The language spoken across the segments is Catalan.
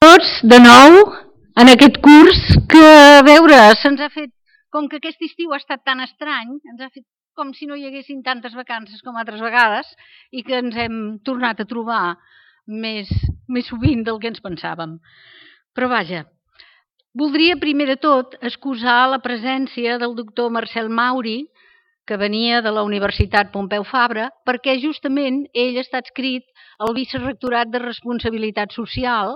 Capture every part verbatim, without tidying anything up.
tots de nou en aquest curs que, a veure, se'ns ha fet, com que aquest estiu ha estat tan estrany, ens ha fet com si no hi haguessin tantes vacances com altres vegades i que ens hem tornat a trobar més, més sovint del que ens pensàvem. Però vaja, voldria primer de tot excusar la presència del doctor Marcel Mauri, que venia de la Universitat Pompeu Fabra, perquè justament ell està adscrit al Vicerectorat de Responsabilitat Social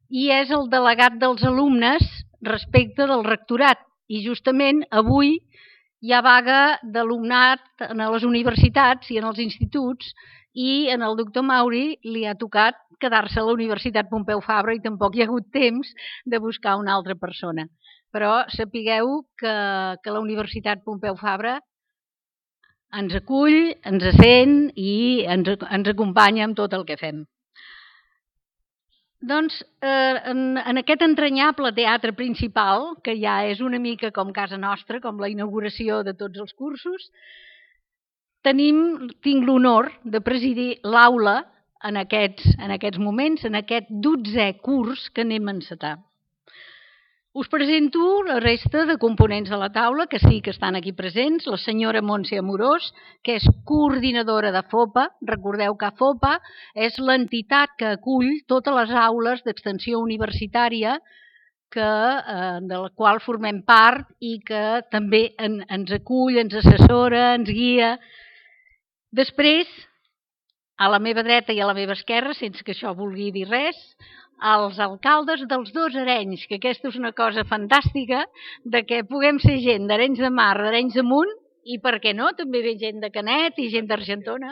i és el delegat dels alumnes respecte del rectorat. I justament avui hi ha vaga d'alumnat a les universitats i en els instituts i en el doctor Mauri li ha tocat quedar-se a la Universitat Pompeu Fabra i tampoc hi ha hagut temps de buscar una altra persona. Però sapigueu que, que la Universitat Pompeu Fabra ens acull, ens sent i ens, ens acompanya amb tot el que fem. Doncs eh, en, en aquest entranyable teatre principal, que ja és una mica com casa nostra, com la inauguració de tots els cursos, tenim, tinc l'honor de presidir l'aula en aquests, en aquests moments, en aquest dotzè curs que anem a encetar. Us presento la resta de components de la taula, que sí que estan aquí presents. La senyora Montse Amorós, que és coordinadora de FOPA. Recordeu que FOPA és l'entitat que acull totes les aules d'extensió universitària que, eh, de la qual formem part i que també en, ens acull, ens assessora, ens guia. Després, a la meva dreta i a la meva esquerra, sense que això vulgui dir res, els alcaldes dels dos Arenys, que aquesta és una cosa fantàstica, de que puguem ser gent d'Arenys de Mar, d'Arenys de Munt, i per què no, també ve gent de Canet i gent d'Argentona,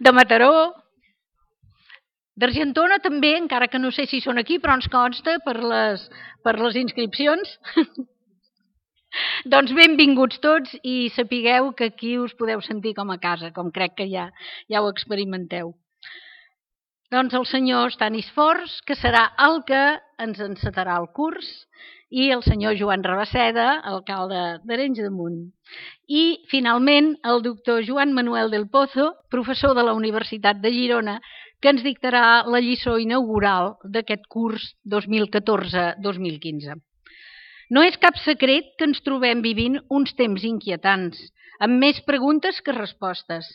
de Mataró, d'Argentona també, encara que no sé si són aquí, però ens consta per les, per les inscripcions. Doncs benvinguts tots i sapigueu que aquí us podeu sentir com a casa, com crec que ja, ja ho experimenteu. Doncs el senyor Stanis Fors, que serà el que ens encetarà el curs, i el senyor Joan Rabaseda, alcalde d'Arenys de Munt. I, finalment, el doctor Joan Manuel del Pozo, professor de la Universitat de Girona, que ens dictarà la lliçó inaugural d'aquest curs dos mil catorze dos mil quinze. No és cap secret que ens trobem vivint uns temps inquietants, amb més preguntes que respostes.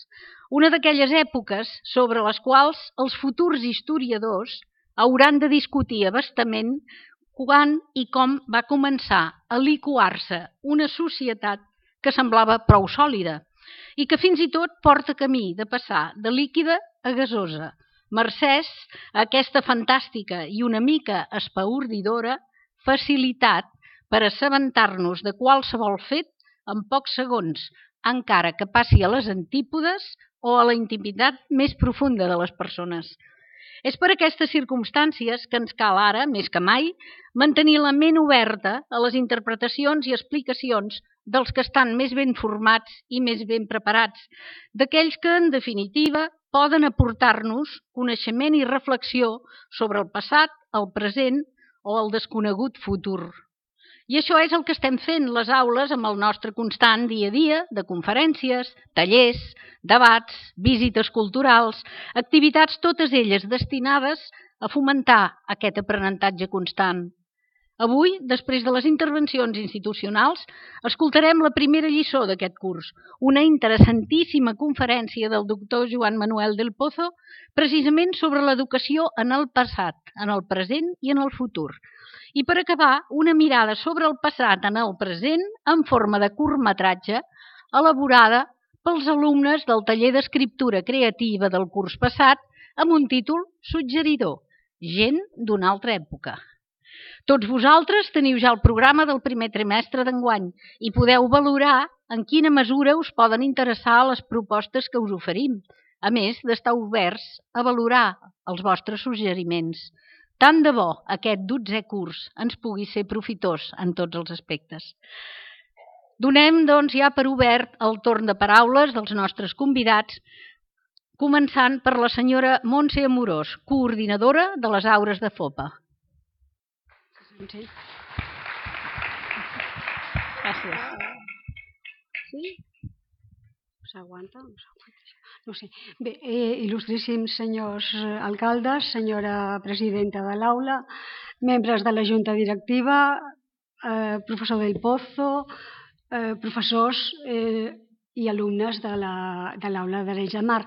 Una d'aquelles èpoques sobre les quals els futurs historiadors hauran de discutir abastament quan i com va començar a liquar-se una societat que semblava prou sòlida i que fins i tot porta camí de passar de líquida a gasosa, mercès a aquesta fantàstica i una mica espaordidora facilitat per assabentar-nos de qualsevol fet en pocs segons, encara que passi a les antípodes o a la intimitat més profunda de les persones. És per aquestes circumstàncies que ens cal ara, més que mai, mantenir la ment oberta a les interpretacions i explicacions dels que estan més ben formats i més ben preparats, d'aquells que, en definitiva, poden aportar-nos coneixement i reflexió sobre el passat, el present o el desconegut futur. I això és el que estem fent les aules amb el nostre constant dia a dia de conferències, tallers, debats, visites culturals, activitats totes elles destinades a fomentar aquest aprenentatge constant. Avui, després de les intervencions institucionals, escoltarem la primera lliçó d'aquest curs, una interessantíssima conferència del doctor Joan Manuel del Pozo, precisament sobre l'educació en el passat, en el present i en el futur. I per acabar, una mirada sobre el passat en el present en forma de curtmetratge elaborada pels alumnes del taller d'escriptura creativa del curs passat amb un títol suggeridor, Gent d'una altra època. Tots vosaltres teniu ja el programa del primer trimestre d'enguany i podeu valorar en quina mesura us poden interessar les propostes que us oferim, a més d'estar oberts a valorar els vostres suggeriments. Tant de bo aquest dotzè curs ens pugui ser profitós en tots els aspectes. Donem, doncs, ja per obert el torn de paraules dels nostres convidats, començant per la senyora Montse Amorós, coordinadora de les aures de FOPA. Gràcies. Sí? S'aguanta? no sé. Bé, eh, il·lustríssims senyors alcaldes, senyora presidenta de l'aula, membres de la junta directiva, eh, professor del Pozo, eh, professors eh, i alumnes de l'aula d'Arenys de Mar.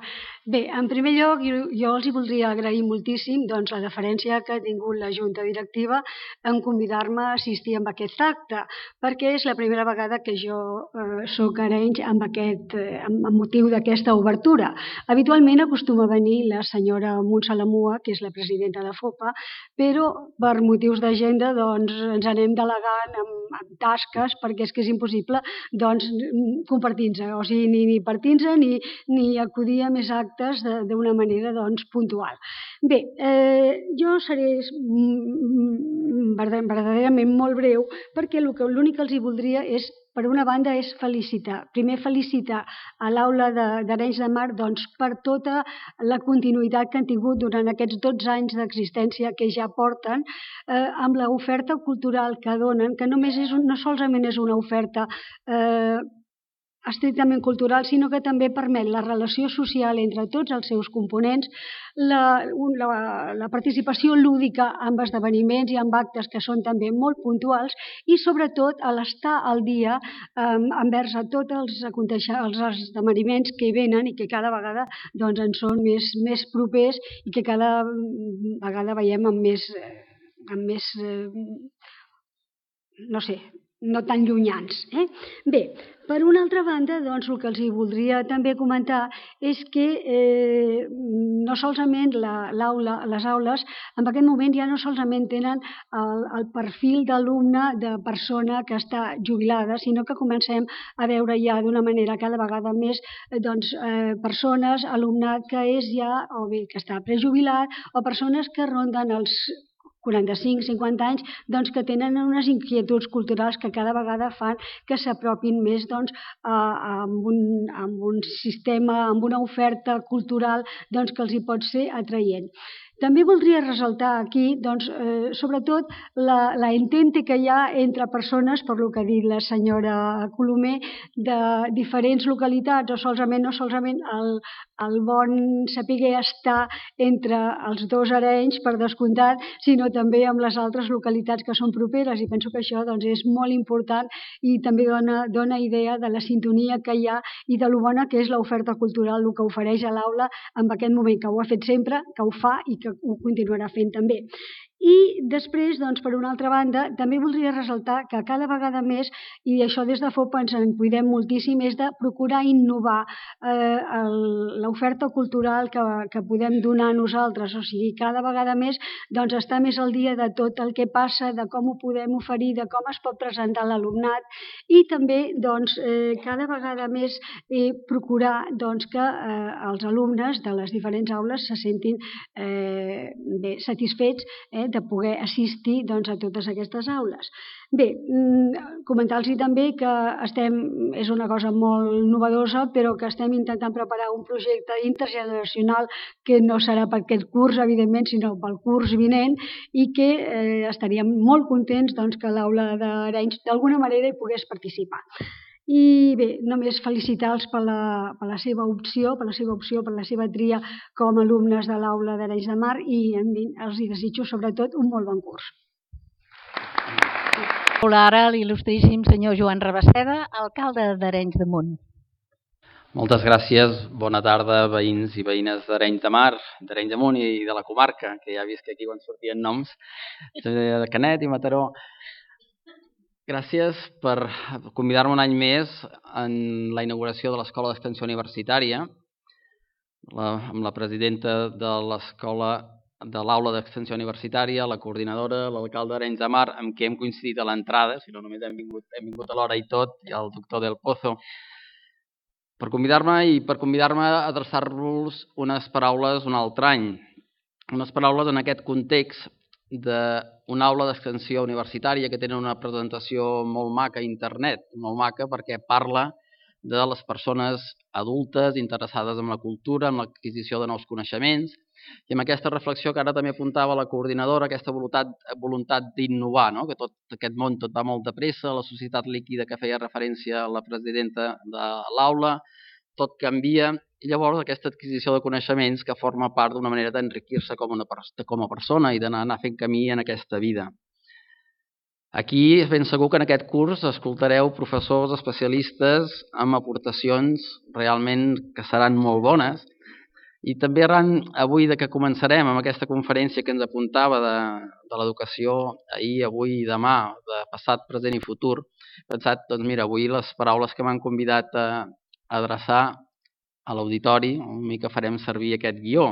Bé, en primer lloc, jo, jo els hi voldria agrair moltíssim doncs, la deferència que ha tingut la junta directiva en convidar-me a assistir a aquest acte, perquè és la primera vegada que jo eh, soc a Arenys amb, aquest, eh, amb motiu d'aquesta obertura. Habitualment acostuma a venir la senyora Montse Lamua, que és la presidenta de FOPA, però per motius d'agenda doncs, ens anem delegant amb, amb tasques perquè és que és impossible doncs, compartir-nos, o sigui, ni, ni partir-nos ni, ni acudir a més actes d'una manera doncs, puntual. Bé, eh, jo seré verdaderament molt breu perquè l'únic que els hi voldria és, per una banda, és felicitar. Primer, felicitar a l'aula d'Arenys de Mar doncs, per tota la continuïtat que han tingut durant aquests dotze anys d'existència que ja porten eh, amb l'oferta cultural que donen, que només és, no solament és una oferta eh, estrictament cultural, sinó que també permet la relació social entre tots els seus components, la, la, la participació lúdica en esdeveniments i en actes que són també molt puntuals i sobretot a l'estar al dia eh, envers a tots els, els esdeveniments que venen i que cada vegada doncs, en són més, més propers i que cada vegada veiem amb més, amb més eh, no sé, no tan llunyans. Eh? Bé, per una altra banda, doncs, el que els hi voldria també comentar és que eh, no solament l'aula, les aules, en aquest moment ja no solament tenen el, el perfil d'alumne de persona que està jubilada, sinó que comencem a veure ja d'una manera cada vegada més doncs, eh, persones, alumnat que és ja, o bé que està prejubilat, o persones que ronden els quaranta-cinc cinquanta anys, doncs, que tenen unes inquietuds culturals que cada vegada fan que s'apropin més doncs, a, a, un, a un sistema, amb una oferta cultural doncs, que els hi pot ser atraient. També voldria ressaltar aquí, doncs, eh, sobretot, la, la entente que hi ha entre persones, per lo que ha dit la senyora Colomer, de diferents localitats, o solament, no solament el, el bon saber estar entre els dos Arenys, per descomptat, sinó també amb les altres localitats que són properes, i penso que això doncs, és molt important i també dona, dona idea de la sintonia que hi ha i de lo bona que és l'oferta cultural, el que ofereix a l'aula en aquest moment, que ho ha fet sempre, que ho fa i que ho continuarà fent també. I després, doncs, per una altra banda, també voldria ressaltar que cada vegada més, i això des de FOPA ens en cuidem moltíssim, és de procurar innovar eh, l'oferta cultural que, que podem donar a nosaltres, o sigui, cada vegada més doncs, estar més al dia de tot el que passa, de com ho podem oferir, de com es pot presentar l'alumnat i també doncs, eh, cada vegada més eh, procurar doncs, que eh, els alumnes de les diferents aules se sentin eh, bé, satisfets eh, de poder assistir doncs, a totes aquestes aules. Bé, comentar-los també que estem, és una cosa molt novedosa, però que estem intentant preparar un projecte intergeneracional que no serà per aquest curs, evidentment, sinó pel curs vinent i que eh, estaríem molt contents doncs, que l'aula d'Arenys d'alguna manera hi pogués participar. I bé, només felicitar-los per, la, per la seva opció, per la seva opció, per la seva tria com a alumnes de l'aula d'Arenys de Mar i els hi desitjo sobretot un molt bon curs. Ara l'il·lustríssim senyor Joan Rabaseda, alcalde d'Arenys de Munt. Moltes gràcies, bona tarda veïns i veïnes d'Arenys de Mar, d'Arenys de Munt i de la comarca, que ja he vist que aquí quan sortien noms, de Canet i Mataró. Gràcies per convidar-me un any més en la inauguració de l'Escola d'Extensió Universitària, la, amb la presidenta de l'escola de l'aula d'Extensió Universitària, la coordinadora, l'alcalde d'Arenys de Mar, amb qui hem coincidit a l'entrada, si no només hem vingut, hem vingut a l'hora i tot, i el doctor Del Pozo, per convidar-me i per convidar-me a adreçar-vos unes paraules un altre any, unes paraules en aquest context d'una aula d'extensió universitària que tenen una presentació molt maca a internet, molt maca perquè parla de les persones adultes interessades en la cultura, en l'adquisició de nous coneixements i amb aquesta reflexió que ara també apuntava la coordinadora, aquesta voluntat, voluntat d'innovar, no? Que tot aquest món tot va molt de pressa, la societat líquida que feia referència a la presidenta de l'aula, tot canvia, i llavors aquesta adquisició de coneixements que forma part d'una manera d'enriquir-se com, una, com a persona i d'anar fent camí en aquesta vida. Aquí és ben segur que en aquest curs escoltareu professors especialistes amb aportacions realment que seran molt bones, i també arran avui de que començarem amb aquesta conferència que ens apuntava de, de l'educació ahir, avui i demà, de passat, present i futur, he pensat, doncs mira, avui les paraules que m'han convidat a, a adreçar a l'auditori, una mica farem servir aquest guió.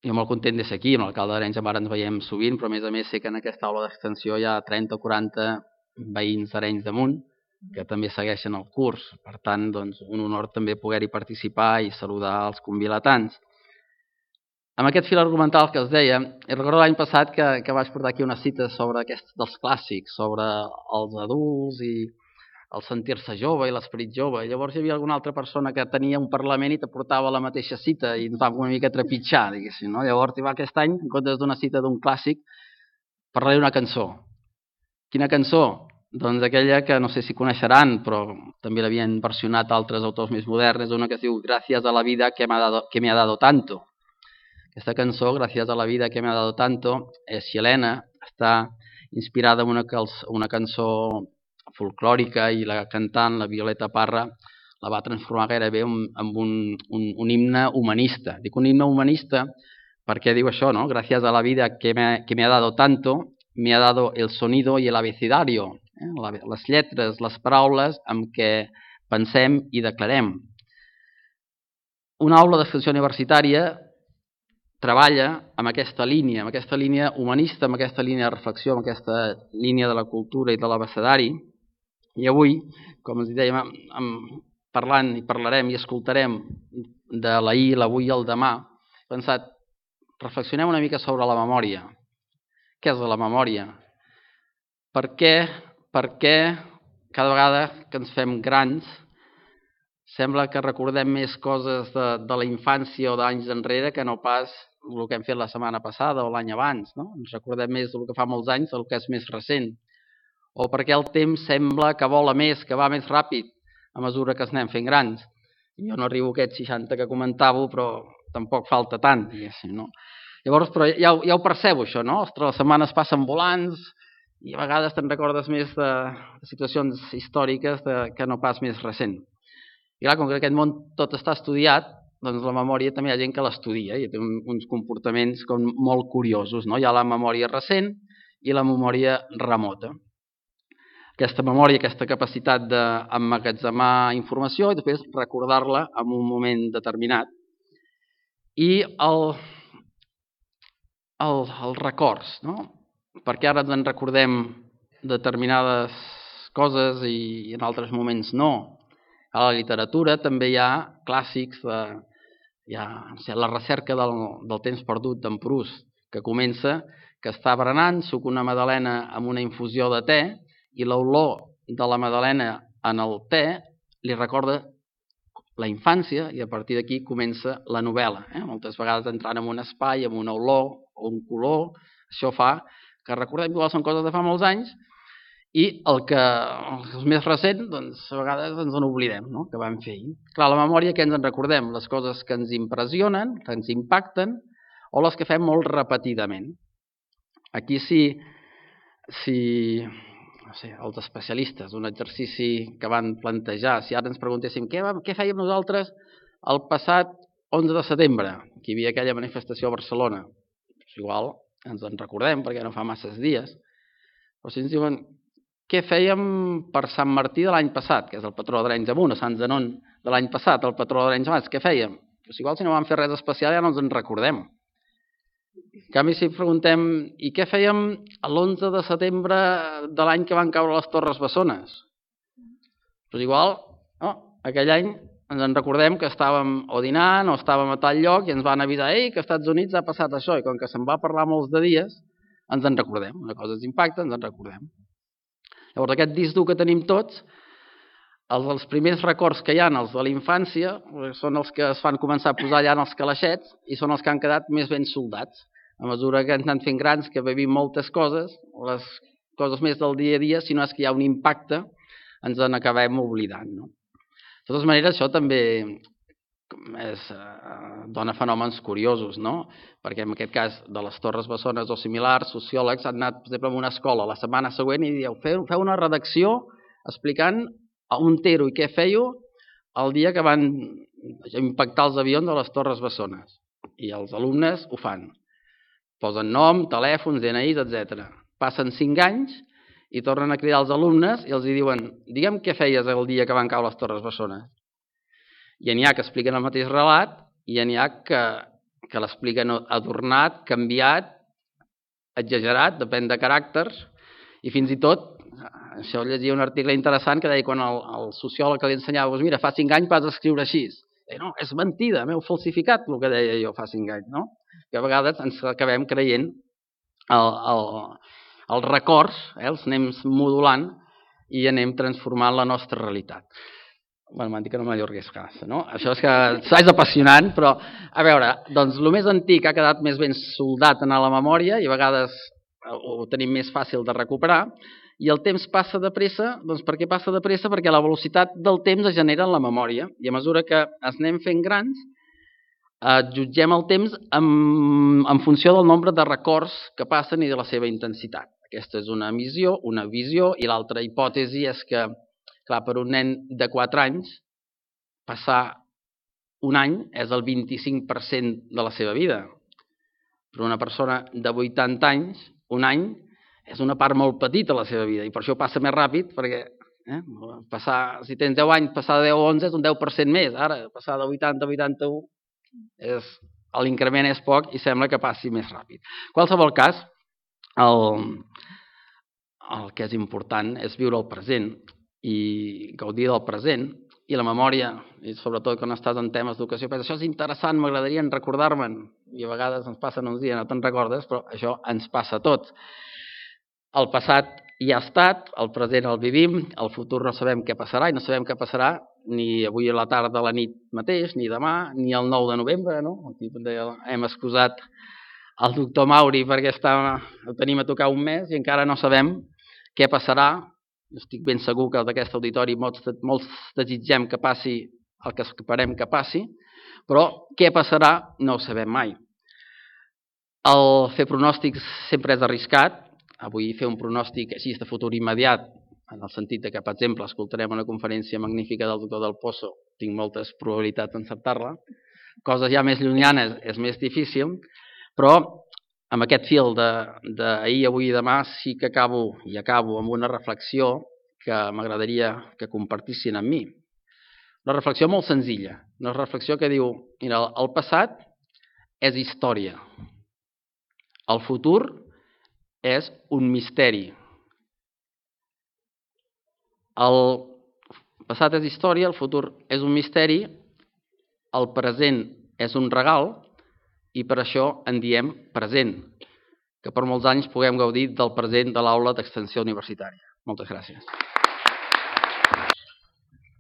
Jo molt content de ser aquí, amb l'alcalde d'Arenys de Mar ens veiem sovint, però a més a més sé que en aquesta aula d'extensió hi ha trenta o quaranta veïns d'Arenys de Munt que també segueixen el curs. Per tant, doncs, un honor també poder-hi participar i saludar els convilatants. Amb aquest fil argumental que us deia, recordo l'any passat que, que vaig portar aquí unes cites sobre aquests dels clàssics, sobre els adults i el sentir-se jove i l'esperit jove. Llavors hi havia alguna altra persona que tenia un parlament i t'aportava la mateixa cita i ens vam una mica trepitjar, diguéssim, no? Llavors, aquest any, en comptes d'una cita d'un clàssic, parlaré d'una cançó. Quina cançó? Doncs aquella que no sé si coneixeran, però també l'havien versionat altres autors més moderns, una que es diu Gracias a la vida que me ha dado, que me ha dado tanto. Aquesta cançó, Gracias a la vida que me ha dado tanto, és xilena, està inspirada en una, una cançó folclòrica i la cantant, la Violeta Parra, la va transformar gairebé en un, un, un himne humanista. Dic un himne humanista perquè diu això, no? Gracias a la vida que me, que me ha dado tanto, me ha dado el sonido y el abecedario, eh? les lletres, les paraules amb què pensem i declarem. Una aula d'extensió universitària treballa amb aquesta línia, amb aquesta línia humanista, amb aquesta línia de reflexió, amb aquesta línia de la cultura i de l'abecedari. I avui, com ens dèiem, parlant i parlarem i escoltarem de l'ahir, l'avui i el demà, he pensat, reflexionem una mica sobre la memòria. Què és la memòria? Per què, per què cada vegada que ens fem grans sembla que recordem més coses de, de la infància o d'anys enrere que no pas el que hem fet la setmana passada o l'any abans, no? Ens recordem més del que fa molts anys del que és més recent. O perquè el temps sembla que vola més, que va més ràpid a mesura que es anem fent grans. Jo no arribo a aquests seixanta que comentàveu, però tampoc falta tant, diguéssim, no? Llavors, però ja, ja ho percebo, això, no? Ostres, les setmanes passen volants i a vegades te'n recordes més de, de situacions històriques de, que no pas més recent. I clar, com que aquest món tot està estudiat, doncs la memòria també hi ha gent que l'estudia i té un, uns comportaments com molt curiosos, no? Hi ha la memòria recent i la memòria remota. Aquesta memòria, aquesta capacitat d'emmagatzemar informació i després recordar-la en un moment determinat. I el... El, els records, no? Perquè ara ens en recordem determinades coses i en altres moments no. A la literatura també hi ha clàssics, de, hi ha la recerca del, del temps perdut d'en Proust, que comença que està berenant, suc una magdalena amb una infusió de te i l'olor de la magdalena en el te li recorda la infància i a partir d'aquí comença la novel·la. Eh? Moltes vegades entrant en un espai, amb una olor o un color, això fa que recordem que són coses de fa molts anys i el que els més recents, doncs, a vegades ens en oblidem, no? Que vam fer ahir. Clar, la memòria, què ens en recordem? Les coses que ens impressionen, que ens impacten o les que fem molt repetidament. Aquí sí, si no sé, els especialistes, un exercici que van plantejar, si ara ens preguntéssim què, què fèiem nosaltres el passat onze de setembre, que hi havia aquella manifestació a Barcelona, doncs igual ens en recordem perquè no fa masses dies, però si ens diuen què fèiem per Sant Martí de l'any passat, que és el patró d'Arenys de Munt, o Sant Zenon de l'any passat, el patró d'Arenys de Mar, què fèiem? Doncs igual si no vam fer res especial ja no ens en recordem. En canvi, si preguntem, i què fèiem l'onze de setembre de l'any que van caure les Torres Bessones? Doncs igual, no, aquell any ens en recordem que estàvem o dinant o estàvem a tal lloc i ens van avisar ei, que als Estats Units ha passat això, i com que se'n va parlar molts de dies, ens en recordem. Una cosa ens impacta, ens en recordem. Llavors, aquest disc dur que tenim tots, els, els primers records que hi ha, els de la infància, són els que es fan començar a posar allà en els calaixets i són els que han quedat més ben soldats. A mesura que ens anem fent grans, que vivim moltes coses, les coses més del dia a dia, si no és que hi ha un impacte, ens en acabem oblidant. No? De totes maneres, això també és, eh, dona fenòmens curiosos, no? Perquè en aquest cas de les Torres Bessones o similars, sociòlegs han anat, per exemple, a una escola la setmana següent i dieu, feu, feu una redacció explicant on ero i què fèieu el dia que van impactar els avions a les Torres Bessones. I els alumnes ho fan. Posen nom, telèfons, D N Is, etcètera. Passen cinc anys i tornen a cridar els alumnes i els diuen, digue'm què feies el dia que van caure les Torres Bessones. I n'hi ha que expliquen el mateix relat i n'hi ha que, que l'expliquen adornat, canviat, exagerat, depèn de caràcters, i fins i tot, això llegia un article interessant que deia quan el, el sociòleg que li ensenyava, doncs mira, fa cinc anys vas escriure així. I no, és mentida, m'heu falsificat el que deia jo fa cinc anys, no? Que a vegades ens acabem creient el, el, els records, eh, els anem modulant i anem transformant la nostra realitat. Bé, m'han dit que no m'allorgués gaire, no? Això és que és apassionant, però, a veure, doncs el més antic ha quedat més ben soldat en la memòria i a vegades ho tenim més fàcil de recuperar, i el temps passa de pressa, doncs per què passa de pressa? Perquè la velocitat del temps es genera en la memòria, i a mesura que es anem fent grans, eh, jutgem el temps en, en funció del nombre de records que passen i de la seva intensitat. Aquesta és una visió, una visió, i l'altra hipòtesi és que, clar, per un nen de quatre anys, passar un any és el vint-i-cinc per cent de la seva vida. Per una persona de vuitanta anys, un any és una part molt petita de la seva vida, i per això passa més ràpid, perquè eh, passar, si tens deu anys, passar de deu a onze és un deu per cent més. Ara, passar de vuitanta a vuitanta-u, és, l'increment és poc i sembla que passi més ràpid. En qualsevol cas, el, el que és important és viure el present i gaudir del present, i la memòria, i sobretot quan estàs en temes d'educació, però això és interessant, m'agradaria recordar-me'n, i a vegades ens passen uns dies, no te'n recordes, però això ens passa a tots. El passat ja ha estat, el present el vivim, el futur no sabem què passarà, i no sabem què passarà ni avui a la tarda a la nit mateix, ni demà, ni el nou de novembre, no? Aquí hem excusat el doctor Mauri perquè està, ho tenim a tocar un mes i encara no sabem què passarà. Estic ben segur que d'aquest auditori molts, molts desitgem que passi el que esperem que passi, però què passarà no ho sabem mai. El fer pronòstics sempre és arriscat. Avui fer un pronòstic així de futur immediat, en el sentit que, per exemple, escoltarem una conferència magnífica del doctor Del Pozo, tinc moltes probabilitats d'encertar-la. Coses ja més llunyanes és més difícil, però amb aquest fil d'ahir, avui i demà sí que acabo, i acabo amb una reflexió que m'agradaria que compartissin amb mi. Una reflexió molt senzilla, una reflexió que diu, mira, el passat és història, el futur és un misteri. El passat és història, el futur és un misteri, el present és un regal, i per això en diem present, que per molts anys puguem gaudir del present de l'aula d'extensió universitària. Moltes gràcies.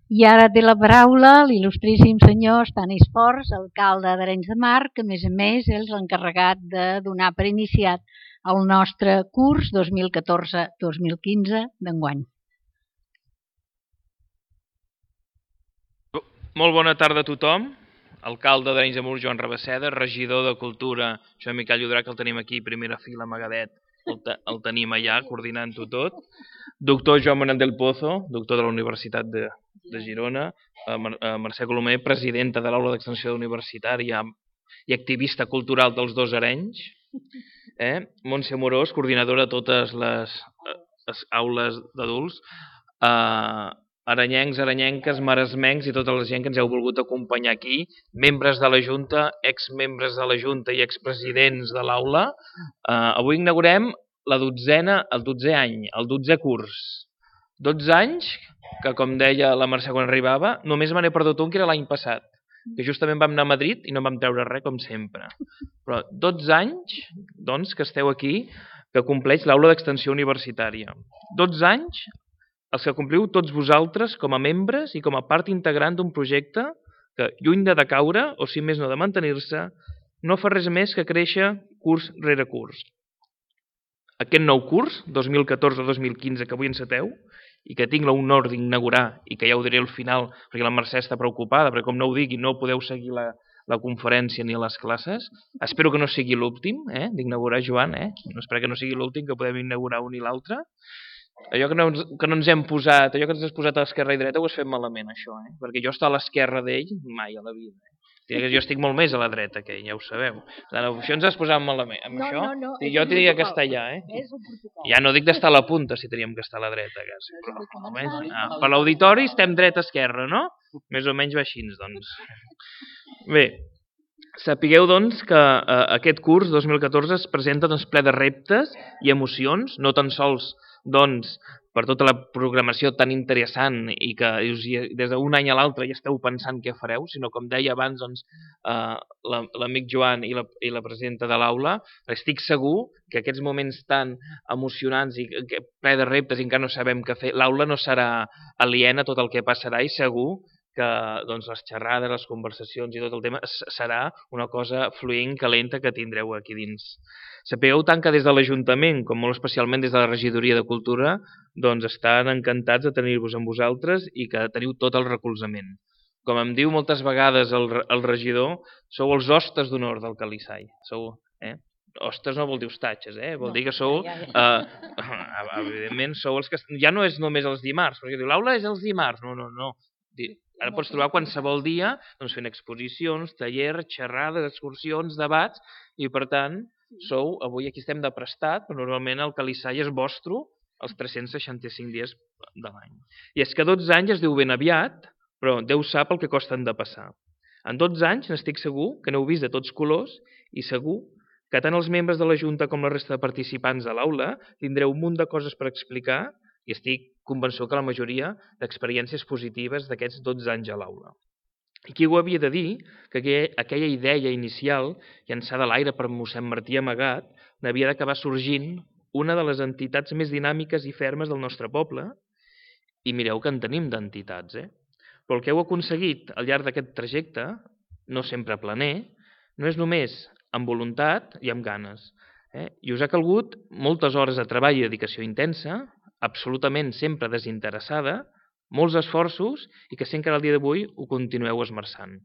I ara té la paraula l'il·lustríssim senyor Stanis Forns, alcalde d'Arenys de Mar, que a més a més és l'encarregat de donar per iniciat el nostre curs dos mil catorze dos mil quinze d'enguany. Molt bona tarda a tothom. Alcalde d'Arenys de Mar, Joan Rabaseda, regidor de Cultura, Joan Miquel Llodrà, que el tenim aquí, primera fila, amagadet, el, te, el tenim allà, coordinant-ho tot. Doctor Joan Manuel del Pozo, doctor de la Universitat de, de Girona. Mar, Mercè Colomer, presidenta de l'Aula d'Extensió Universitària i activista cultural dels dos Arenys. Eh? Montse Amorós, coordinadora de totes les, les aules d'adults. Eh, aranyencs, aranyenques, maresmencs i tota la gent que ens heu volgut acompanyar aquí, membres de la Junta, exmembres de la Junta i expresidents de l'aula. Uh, avui inaugurem la dotzena, el dotzè any, el dotzè curs. dotze anys que, com deia la Mercè quan arribava, només me n'he perdut un, que era l'any passat, que justament vam anar a Madrid i no vam treure res, com sempre. Però dotze anys, doncs, que esteu aquí, que compleix l'aula d'extensió universitària. dotze anys els que compliu tots vosaltres com a membres i com a part integrant d'un projecte que, lluny de decaure, o si més no de mantenir-se, no fa res més que créixer curs rere curs. Aquest nou curs, dos mil catorze dos mil quinze, que avui enceteu, i que tinc l'honor d'inaugurar, i que ja ho diré al final, perquè la Mercè està preocupada, perquè com no ho digui no podeu seguir la, la conferència ni les classes. Espero que no sigui l'últim, eh, d'inaugurar, Joan, eh? No espero que no sigui l'últim, que podem inaugurar un i l'altre. Allò que no, ens, que no ens hem posat, allò que ens has posat a l'esquerra i dreta ho has fet malament, això, eh? Perquè jo estar a l'esquerra d'ell mai a la vida, eh? Jo estic molt més a la dreta que ell, ja ho sabeu. Això ens has posat malament. Amb no, això, no, no, jo tenia que estar allà, eh? Ja no dic d'estar a la punta si teníem que estar a la dreta, quasi. Però, almenys, ah, per l'auditori estem dreta-esquerra, no? Més o menys va així, doncs. Bé, sapigueu, doncs, que eh, aquest curs dos mil catorze es presenta doncs, ple de reptes i emocions, no tan sols doncs, per tota la programació tan interessant i que us, des d'un any a l'altre ja esteu pensant què fareu, sinó com deia abans doncs, eh, l'amic Joan i la, i la presidenta de l'aula, estic segur que aquests moments tan emocionants i que, ple de reptes i encara no sabem què fer, l'aula no serà aliena a tot el que passarà i segur que doncs, les xerrades, les conversacions i tot el tema serà una cosa fluent, calenta que tindreu aquí dins. Sapigueu tant que des de l'Ajuntament, com molt especialment des de la Regidoria de Cultura, doncs estan encantats de tenir-vos amb vosaltres i que teniu tot el recolzament. Com em diu moltes vegades el, el regidor, sou els hostes d'honor del Calissai. Sou, eh? Hostes no vol dir hostatges, eh? Vol no, dir que sou, ja, ja. Eh, evidentment, sou els que... Ja no és només els dimarts, perquè diu, l'aula és els dimarts. No, no, no. Ara pots trobar qualsevol dia doncs, fent exposicions, tallers, xerrades, excursions, debats, i per tant, sou, avui aquí estem de prestat, però normalment el Calissai és vostre els tres-cents seixanta-cinc dies de l'any. I és que dotze anys es diu ben aviat, però Déu sap el que costen de passar. En dotze anys n'estic segur que n'heu vist de tots colors i segur que tant els membres de la Junta com la resta de participants de l'aula tindreu un munt de coses per explicar i estic convençut que la majoria d'experiències positives d'aquests dotze anys a l'aula. I qui ho havia de dir que aquella idea inicial, llançada a l'aire per mossèn Martí Amagat, n'havia d'acabar sorgint una de les entitats més dinàmiques i fermes del nostre poble, i mireu que en tenim d'entitats, eh? Però el que heu aconseguit al llarg d'aquest trajecte, no sempre planer, no és només amb voluntat i amb ganes, eh? I us ha calgut moltes hores de treball i dedicació intensa, absolutament sempre desinteressada, molts esforços i que sempre al dia d'avui ho continueu esmerçant.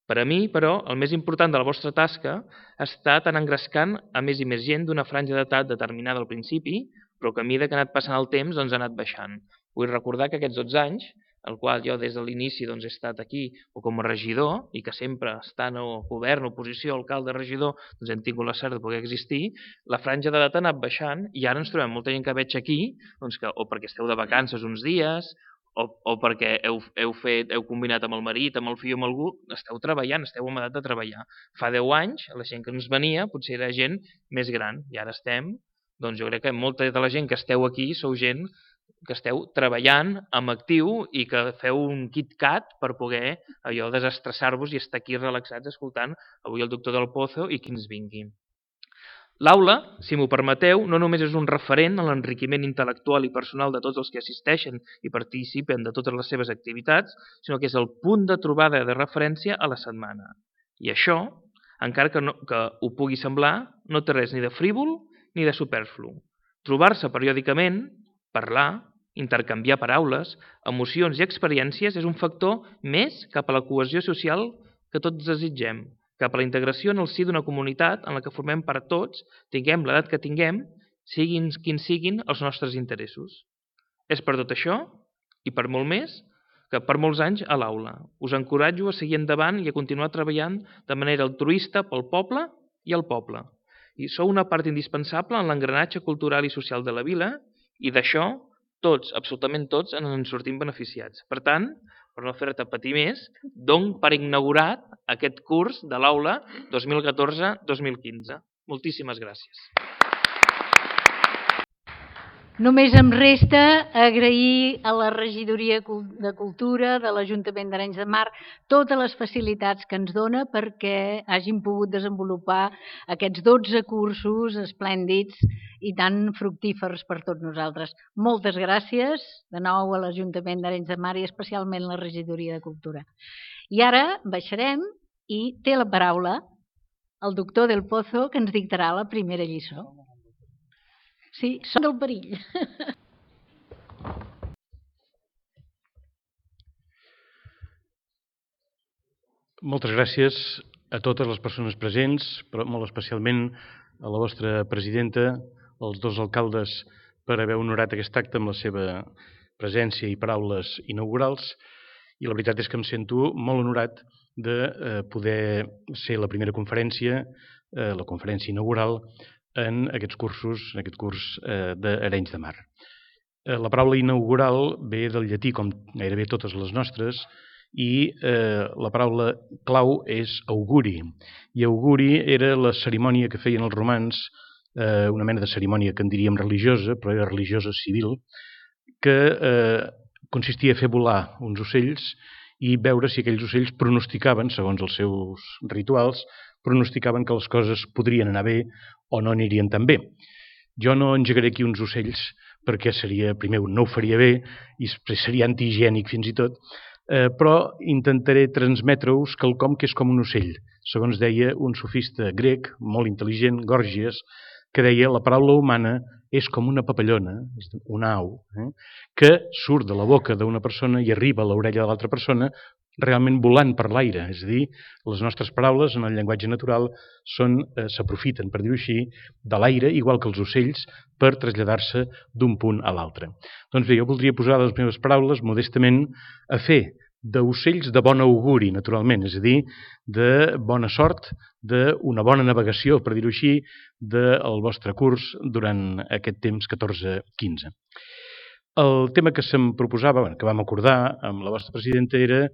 Per a mi, però, el més important de la vostra tasca ha estat anar engrescant a més i més gent d'una franja d'edat determinada al principi, però que a mesura que ha anat passant el temps doncs ha anat baixant. Vull recordar que aquests dotze anys, el qual jo des de l'inici doncs, he estat aquí o com a regidor i que sempre estant a govern, oposició, alcalde, regidor, doncs hem tingut la sort de poder existir, la franja d'edat ha anat baixant i ara ens trobem molta gent que veig aquí doncs, que, o perquè esteu de vacances uns dies o, o perquè heu, heu, fet, heu combinat amb el marit, amb el fill o amb algú, esteu treballant, esteu en edat de treballar. Fa deu anys, la gent que ens venia potser era gent més gran i ara estem, doncs jo crec que molta de la gent que esteu aquí sou gent que esteu treballant amb actiu i que feu un KitKat per poder allò desestressar-vos i estar aquí relaxats escoltant avui el doctor Del Pozo i qui ens vingui. L'aula, si m'ho permeteu, no només és un referent en l'enriquiment intel·lectual i personal de tots els que assisteixen i participen de totes les seves activitats, sinó que és el punt de trobada de referència a la setmana. I això, encara que, no, que ho pugui semblar, no té res ni de frívol ni de superflu. Trobar-se periòdicament, parlar, intercanviar paraules, emocions i experiències és un factor més cap a la cohesió social que tots desitgem, cap a la integració en el si d'una comunitat en la que formem part tots, tinguem l'edat que tinguem, siguin quins siguin els nostres interessos. És per tot això, i per molt més, que per molts anys a l'aula. Us encoratjo a seguir endavant i a continuar treballant de manera altruista pel poble i al poble. I sou una part indispensable en l'engranatge cultural i social de la vila i d'això tots, absolutament tots, ens en sortim beneficiats. Per tant, per no fer-te patir més, dono per inaugurat aquest curs de l'aula dos mil catorze dos mil quinze. Moltíssimes gràcies. Només em resta agrair a la Regidoria de Cultura de l'Ajuntament d'Arenys de Mar totes les facilitats que ens dona perquè hagin pogut desenvolupar aquests dotze cursos esplèndids i tan fructífers per tots nosaltres. Moltes gràcies de nou a l'Ajuntament d'Arenys de Mar i especialment a la Regidoria de Cultura. I ara baixarem i té la paraula el doctor Del Pozo que ens dictarà la primera lliçó. Sí, són del perill. moltes gràcies a totes les persones presents, però molt especialment a la vostra presidenta, als dos alcaldes, per haver honorat aquest acte amb la seva presència i paraules inaugurals. I la veritat és que em sento molt honorat de eh, poder ser la primera conferència, eh, la conferència inaugural, en aquests cursos, en aquest curs eh, d'Arenys de Mar. Eh, la paraula inaugural ve del llatí, com gairebé totes les nostres, i eh, la paraula clau és auguri. I auguri era la cerimònia que feien els romans, eh, una mena de cerimònia que en diríem religiosa, però era religiosa civil, que eh, consistia a fer volar uns ocells i veure si aquells ocells pronosticaven, segons els seus rituals, pronosticaven que les coses podrien anar bé o no anirien tan bé. Jo no engegaré aquí uns ocells perquè seria, primer, no ho faria bé i seria antihigiènic fins i tot, eh, però intentaré transmetre-us quelcom que és com un ocell. Segons deia un sofista grec, molt intel·ligent, Gòrgies, que deia la paraula humana és com una papallona, una au, eh, que surt de la boca d'una persona i arriba a l'orella de l'altra persona realment volant per l'aire. És a dir, les nostres paraules en el llenguatge natural són, eh, s'aprofiten, per dir-ho així, de l'aire, igual que els ocells, per traslladar-se d'un punt a l'altre. Doncs bé, jo voldria posar les meves paraules modestament a fer d'ocells de bon auguri, naturalment, és a dir, de bona sort, d'una bona navegació, per dir-ho així, del vostre curs durant aquest temps catorze quinze. El tema que se'm proposava, que vam acordar amb la vostra presidenta, era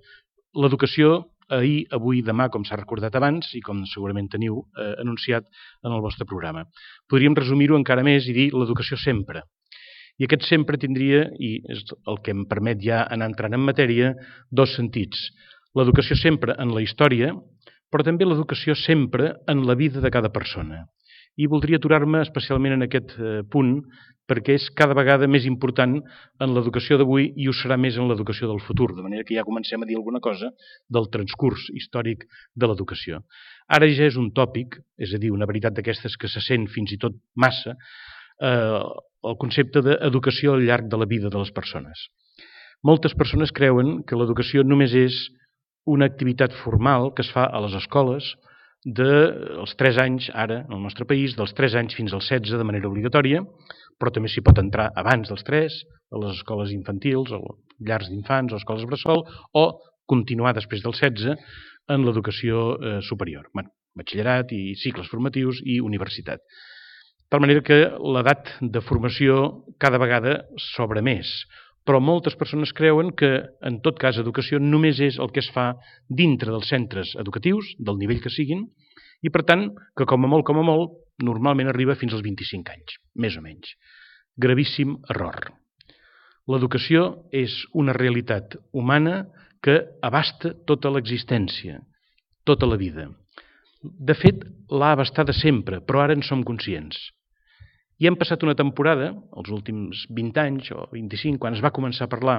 l'educació ahir, avui, demà, com s'ha recordat abans i com segurament teniu eh, anunciat en el vostre programa. Podríem resumir-ho encara més i dir l'educació sempre. I aquest sempre tindria, i és el que em permet ja anar entrant en matèria, dos sentits. L'educació sempre en la història, però també l'educació sempre en la vida de cada persona. I voldria aturar-me especialment en aquest eh, punt, perquè és cada vegada més important en l'educació d'avui i ho serà més en l'educació del futur, de manera que ja comencem a dir alguna cosa del transcurs històric de l'educació. Ara ja és un tòpic, és a dir, una veritat d'aquestes que se sent fins i tot massa, eh, el concepte d'educació al llarg de la vida de les persones. Moltes persones creuen que l'educació només és una activitat formal que es fa a les escoles dels tres anys, ara, en el nostre país, dels tres anys fins als setze de manera obligatòria, però també s'hi pot entrar abans dels tres, a les escoles infantils, o llars d'infants, o escoles bressol, o continuar després dels setze en l'educació eh, superior, bueno, batxillerat i cicles formatius i universitat. De tal manera que l'edat de formació cada vegada s'obre més, però moltes persones creuen que, en tot cas, educació només és el que es fa dintre dels centres educatius, del nivell que siguin, i per tant, que com a molt, com a molt, normalment arriba fins als vint-i-cinc anys, més o menys. Gravíssim error. L'educació és una realitat humana que abasta tota l'existència, tota la vida. De fet, l'ha abastada sempre, però ara en som conscients. I hem passat una temporada, els últims vint anys o vint-i-cinc, quan es va començar a parlar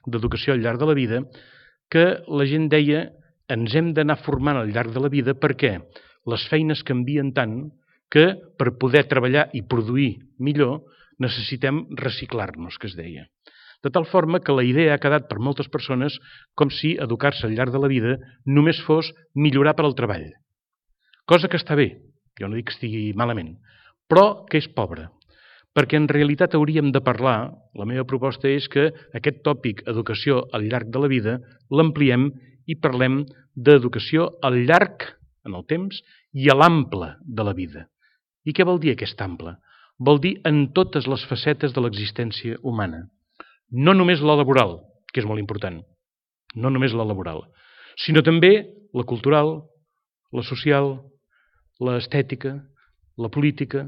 d'educació al llarg de la vida, que la gent deia ens hem d'anar formant al llarg de la vida perquè les feines canvien tant que per poder treballar i produir millor necessitem reciclar-nos, que es deia. De tal forma que la idea ha quedat per moltes persones com si educar-se al llarg de la vida només fos millorar per al treball. Cosa que està bé, jo no dic que estigui malament, però que és pobre, perquè en realitat hauríem de parlar, la meva proposta és que aquest tòpic educació al llarg de la vida l'ampliem i parlem d'educació al llarg, en el temps, i a l'ample de la vida. I què vol dir aquest ample? Vol dir en totes les facetes de l'existència humana. No només la laboral, que és molt important, no només la laboral, sinó també la cultural, la social, l'estètica, la política,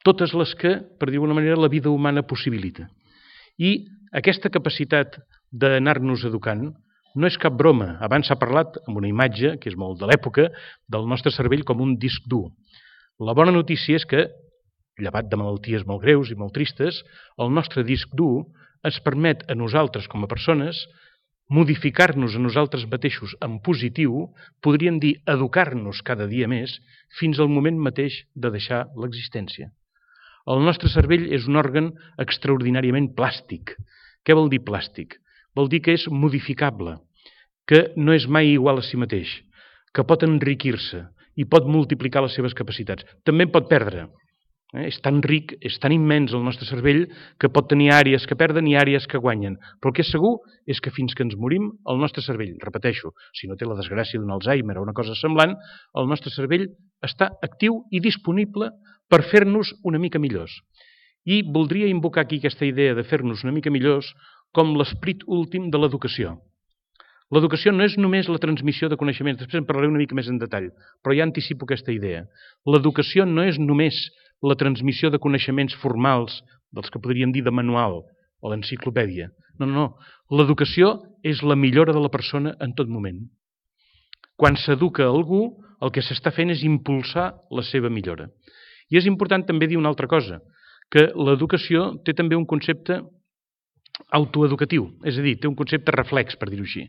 totes les que, per dir d'alguna manera, la vida humana possibilita. I aquesta capacitat d'anar-nos educant no és cap broma. Abans s'ha parlat, amb una imatge, que és molt de l'època, del nostre cervell com un disc dur. La bona notícia és que, llevat de malalties molt greus i molt tristes, el nostre disc dur ens permet a nosaltres com a persones modificar-nos a nosaltres mateixos en positiu, podríem dir educar-nos cada dia més, fins al moment mateix de deixar l'existència. El nostre cervell és un òrgan extraordinàriament plàstic. Què vol dir plàstic? Vol dir que és modificable, que no és mai igual a si mateix, que pot enriquir-se i pot multiplicar les seves capacitats. També en pot perdre. Eh? És tan ric, és tan immens el nostre cervell que pot tenir àrees que perden i àrees que guanyen. Però el que és segur és que fins que ens morim, el nostre cervell, repeteixo, si no té la desgràcia d'un Alzheimer o una cosa semblant, el nostre cervell està actiu i disponible per fer-nos una mica millors. I voldria invocar aquí aquesta idea de fer-nos una mica millors com l'esperit últim de l'educació. L'educació no és només la transmissió de coneixements, després en parlaré una mica més en detall, però ja anticipo aquesta idea. L'educació no és només la transmissió de coneixements formals, dels que podríem dir de manual o d'enciclopèdia. No, no, no. L'educació és la millora de la persona en tot moment. Quan s'educa algú, el que s'està fent és impulsar la seva millora. I és important també dir una altra cosa, que l'educació té també un concepte autoeducatiu, és a dir, té un concepte reflex, per dir-ho així.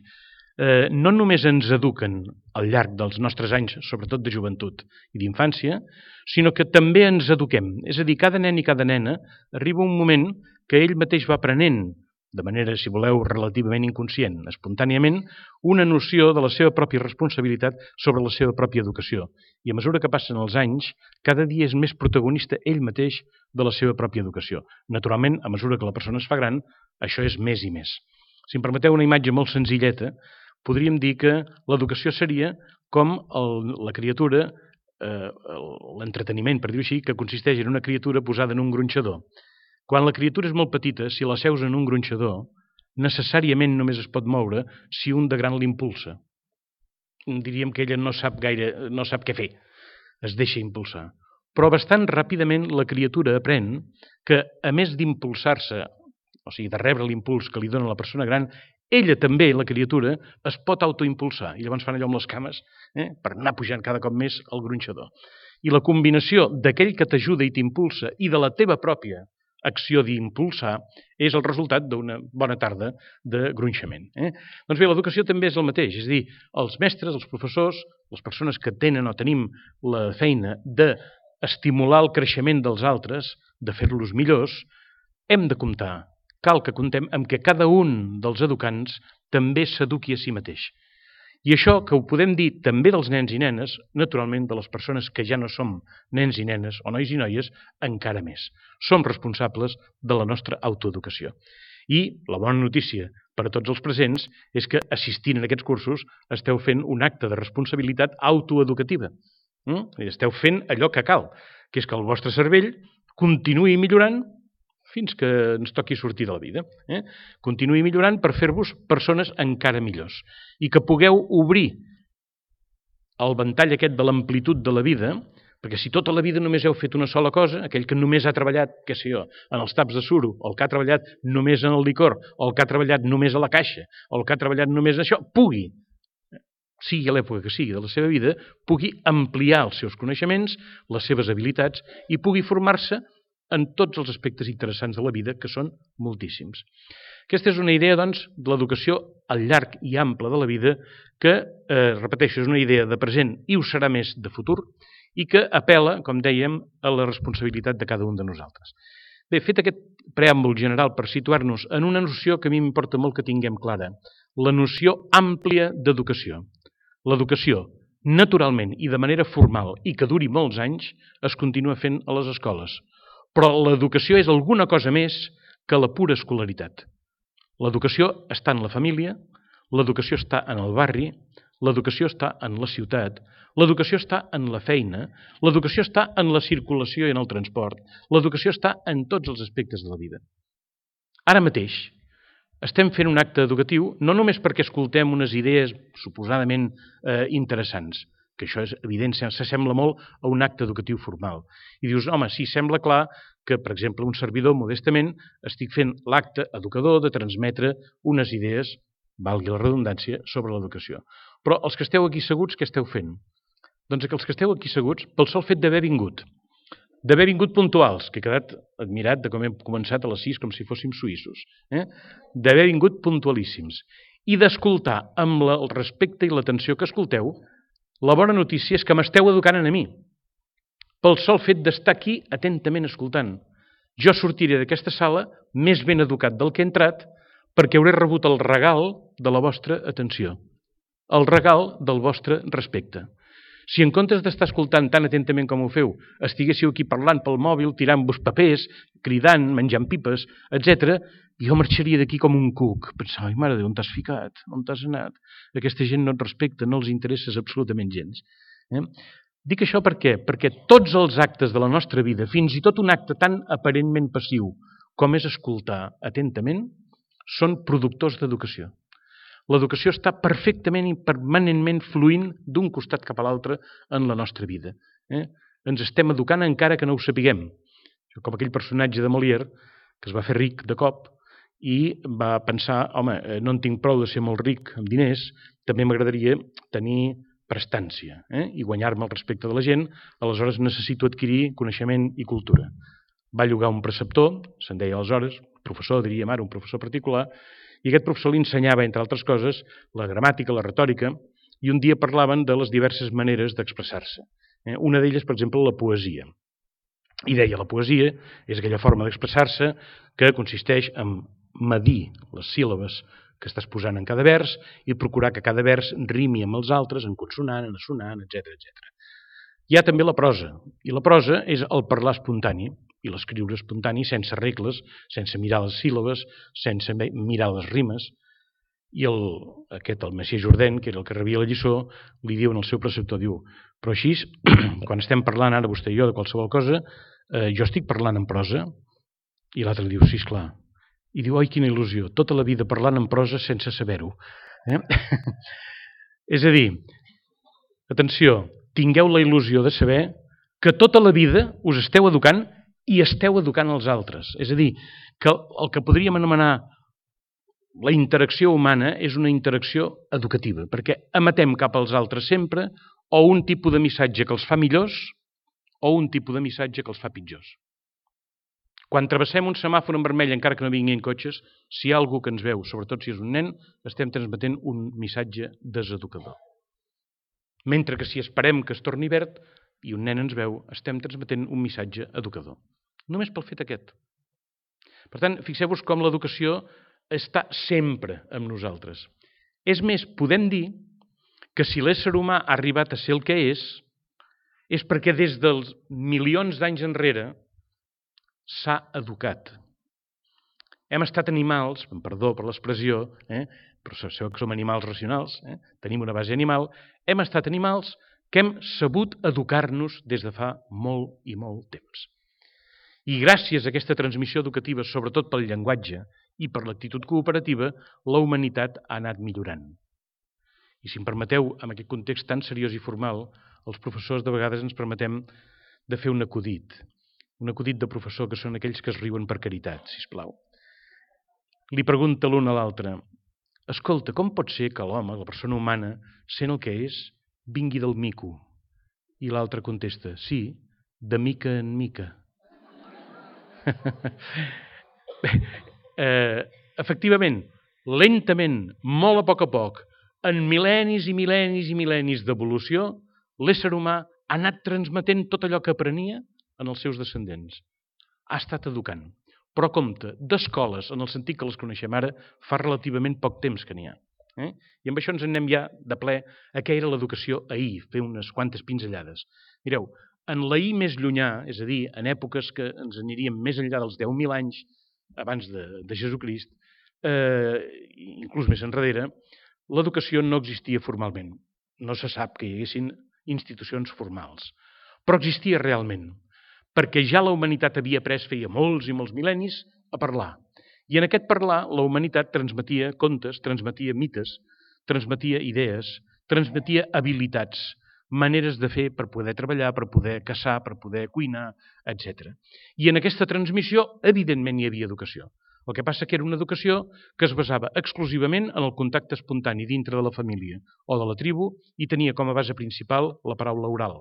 Eh, no només ens eduquen al llarg dels nostres anys, sobretot de joventut i d'infància, sinó que també ens eduquem. És a dir, cada nen i cada nena arriba un moment que ell mateix va aprenent, de manera, si voleu, relativament inconscient, espontàniament, una noció de la seva pròpia responsabilitat sobre la seva pròpia educació. I a mesura que passen els anys, cada dia és més protagonista ell mateix de la seva pròpia educació. Naturalment, a mesura que la persona es fa gran, això és més i més. Si em permeteu una imatge molt senzilleta, podríem dir que l'educació seria com el, la criatura, eh, l'entreteniment, per dir-ho així, que consisteix en una criatura posada en un gronxador. Quan la criatura és molt petita, si la seus en un gronxador, necessàriament només es pot moure si un de gran l'impulsa. Diríem que ella no sap gaire, no sap què fer, es deixa impulsar. Però bastant ràpidament la criatura aprèn que, a més d'impulsar-se, o sigui, de rebre l'impuls que li dona la persona gran, ella també, la criatura, es pot autoimpulsar. I llavors fan allò amb les cames, eh, per anar pujant cada cop més al gronxador. I la combinació d'aquell que t'ajuda i t'impulsa i de la teva pròpia acció d'impulsar és el resultat d'una bona tarda de gronxament. Eh? Doncs bé, l'educació també és el mateix, és a dir, els mestres, els professors, les persones que tenen o tenim la feina d'estimular el creixement dels altres, de fer-los millors, hem de comptar, cal que comptem amb que cada un dels educants també s'eduqui a si mateix. I això que ho podem dir també dels nens i nenes, naturalment de les persones que ja no som nens i nenes o nois i noies, encara més. Som responsables de la nostra autoeducació. I la bona notícia per a tots els presents és que assistint a aquests cursos esteu fent un acte de responsabilitat autoeducativa. Mm? Esteu fent allò que cal, que és que el vostre cervell continuï millorant fins que ens toqui sortir de la vida. Eh? Continuï millorant per fer-vos persones encara millors. I que pugueu obrir el ventall aquest de l'amplitud de la vida, perquè si tota la vida només heu fet una sola cosa, aquell que només ha treballat, què sé jo, en els taps de suro, o el que ha treballat només en el licor, o el que ha treballat només a la caixa, o el que ha treballat només en això, pugui, sigui a l'època que sigui de la seva vida, pugui ampliar els seus coneixements, les seves habilitats, i pugui formar-se en tots els aspectes interessants de la vida, que són moltíssims. Aquesta és una idea, doncs, de l'educació al llarg i ample de la vida, que, eh, repeteixo, és una idea de present i ho serà més de futur, i que apel·la, com dèiem, a la responsabilitat de cada un de nosaltres. Bé, fet aquest preàmbul general per situar-nos en una noció que a mi m'importa molt que tinguem clara, la noció àmplia d'educació. L'educació, naturalment i de manera formal i que duri molts anys, es continua fent a les escoles. Però l'educació és alguna cosa més que la pura escolaritat. L'educació està en la família, l'educació està en el barri, l'educació està en la ciutat, l'educació està en la feina, l'educació està en la circulació i en el transport, l'educació està en tots els aspectes de la vida. Ara mateix estem fent un acte educatiu no només perquè escoltem unes idees suposadament eh, interessants, que això és evident, s'assembla molt a un acte educatiu formal. I dius, home, sí, sembla clar que, per exemple, un servidor, modestament, estic fent l'acte educador de transmetre unes idees, valgui la redundància, sobre l'educació. Però els que esteu aquí asseguts, què esteu fent? Doncs que els que esteu aquí asseguts, pel sol fet d'haver vingut, d'haver vingut puntuals, que he quedat admirat de com hem començat a les sis, com si fóssim suïssos, eh? d'haver vingut puntualíssims, i d'escoltar amb la, el respecte i l'atenció que escolteu. La bona notícia és que m'esteu educant a mi, pel sol fet d'estar aquí atentament escoltant. Jo sortiré d'aquesta sala més ben educat del que he entrat perquè hauré rebut el regal de la vostra atenció. el regal del vostre respecte. Si en comptes d'estar escoltant tan atentament com ho feu, estiguéssiu aquí parlant pel mòbil, tirant-vos papers, cridant, menjant pipes, etcètera, jo marxaria d'aquí com un cuc. Pensava, ai, mare de Déu, on t'has ficat? On t'has anat? Aquesta gent no et respecta, no els interesses absolutament gens. Eh? Dic això per què? Perquè tots els actes de la nostra vida, fins i tot un acte tan aparentment passiu com és escoltar atentament, són productors d'educació. L'educació està perfectament i permanentment fluint d'un costat cap a l'altre en la nostra vida. Eh? Ens estem educant encara que no ho sapiguem. Com aquell personatge de Molière que es va fer ric de cop i va pensar, home, no en tinc prou de ser molt ric amb diners, també m'agradaria tenir prestància eh? i guanyar-me el respecte de la gent, aleshores necessito adquirir coneixement i cultura. Va llogar un preceptor, se'n deia aleshores, professor, diríem ara, un professor particular, i aquest professor li ensenyava, entre altres coses, la gramàtica, la retòrica, i un dia parlaven de les diverses maneres d'expressar-se. Eh? Una d'elles, per exemple, la poesia. I deia, la poesia és aquella forma d'expressar-se que consisteix en medir les síl·labes que estàs posant en cada vers i procurar que cada vers rimi amb els altres, en consonant, en assonant, etcètera, etcètera. Hi ha també la prosa, i la prosa és el parlar espontani, i l'escriure espontani sense regles, sense mirar les síl·labes, sense mirar les rimes. I el, aquest, el Messier Jourdain, que era el que rebia la lliçó, li diu en el seu preceptor, diu, però així, quan estem parlant ara vostè i jo de qualsevol cosa, eh, jo estic parlant en prosa? I l'altre li diu, sí, esclar. I diu, oi, quina il·lusió, tota la vida parlant en prosa sense saber-ho. Eh? És a dir, atenció, tingueu la il·lusió de saber que tota la vida us esteu educant i esteu educant els altres. És a dir, que el que podríem anomenar la interacció humana és una interacció educativa, perquè emetem cap als altres sempre o un tipus de missatge que els fa millors o un tipus de missatge que els fa pitjors. Quan travessem un semàfor en vermell, encara que no vinguin cotxes, si hi ha algú que ens veu, sobretot si és un nen, estem transmetent un missatge deseducador. Mentre que si esperem que es torni verd i un nen ens veu, estem transmetent un missatge educador. Només pel fet aquest. Per tant, fixeu-vos com l'educació està sempre amb nosaltres. És més, podem dir que si l'ésser humà ha arribat a ser el que és, és perquè des dels milions d'anys enrere s'ha educat. Hem estat animals, perdó per l'expressió, eh, però sabeu que som animals racionals, eh, tenim una base animal, hem estat animals que hem sabut educar-nos des de fa molt i molt temps. I gràcies a aquesta transmissió educativa, sobretot pel llenguatge i per l'actitud cooperativa, la humanitat ha anat millorant. I si em permeteu, en aquest context tan seriós i formal, els professors de vegades ens permetem de fer un acudit. Un acudit de professor que són aquells que es riuen per caritat, sisplau. Li pregunta l'un a l'altre, escolta, com pot ser que l'home, la persona humana, sent el que és, vingui del mico? I l'altre contesta, sí, de mica en mica. Bé, eh, efectivament, lentament, molt a poc a poc, en mil·lennis i mil·lennis i mil·lennis d'evolució, l'ésser humà ha anat transmetent tot allò que aprenia en els seus descendents. Ha estat educant. Però compte, d'escoles, en el sentit que les coneixem ara, fa relativament poc temps que n'hi ha. Eh? I amb això ens anem ja de ple a què era l'educació ahir, fer unes quantes pinzellades. Mireu, en l'ahir més llunyà, és a dir, en èpoques que ens aniríem més enllà dels deu mil anys abans de, de Jesucrist, eh, inclús més enrere, l'educació no existia formalment. No se sap que hi haguessin institucions formals. Però existia realment, perquè ja la humanitat havia après feia molts i molts mil·lennis a parlar. I en aquest parlar la humanitat transmetia contes, transmetia mites, transmetia idees, transmetia habilitats, maneres de fer per poder treballar, per poder caçar, per poder cuinar, etcètera. I en aquesta transmissió, evidentment, hi havia educació. El que passa que era una educació que es basava exclusivament en el contacte espontani dintre de la família o de la tribu i tenia com a base principal la paraula oral.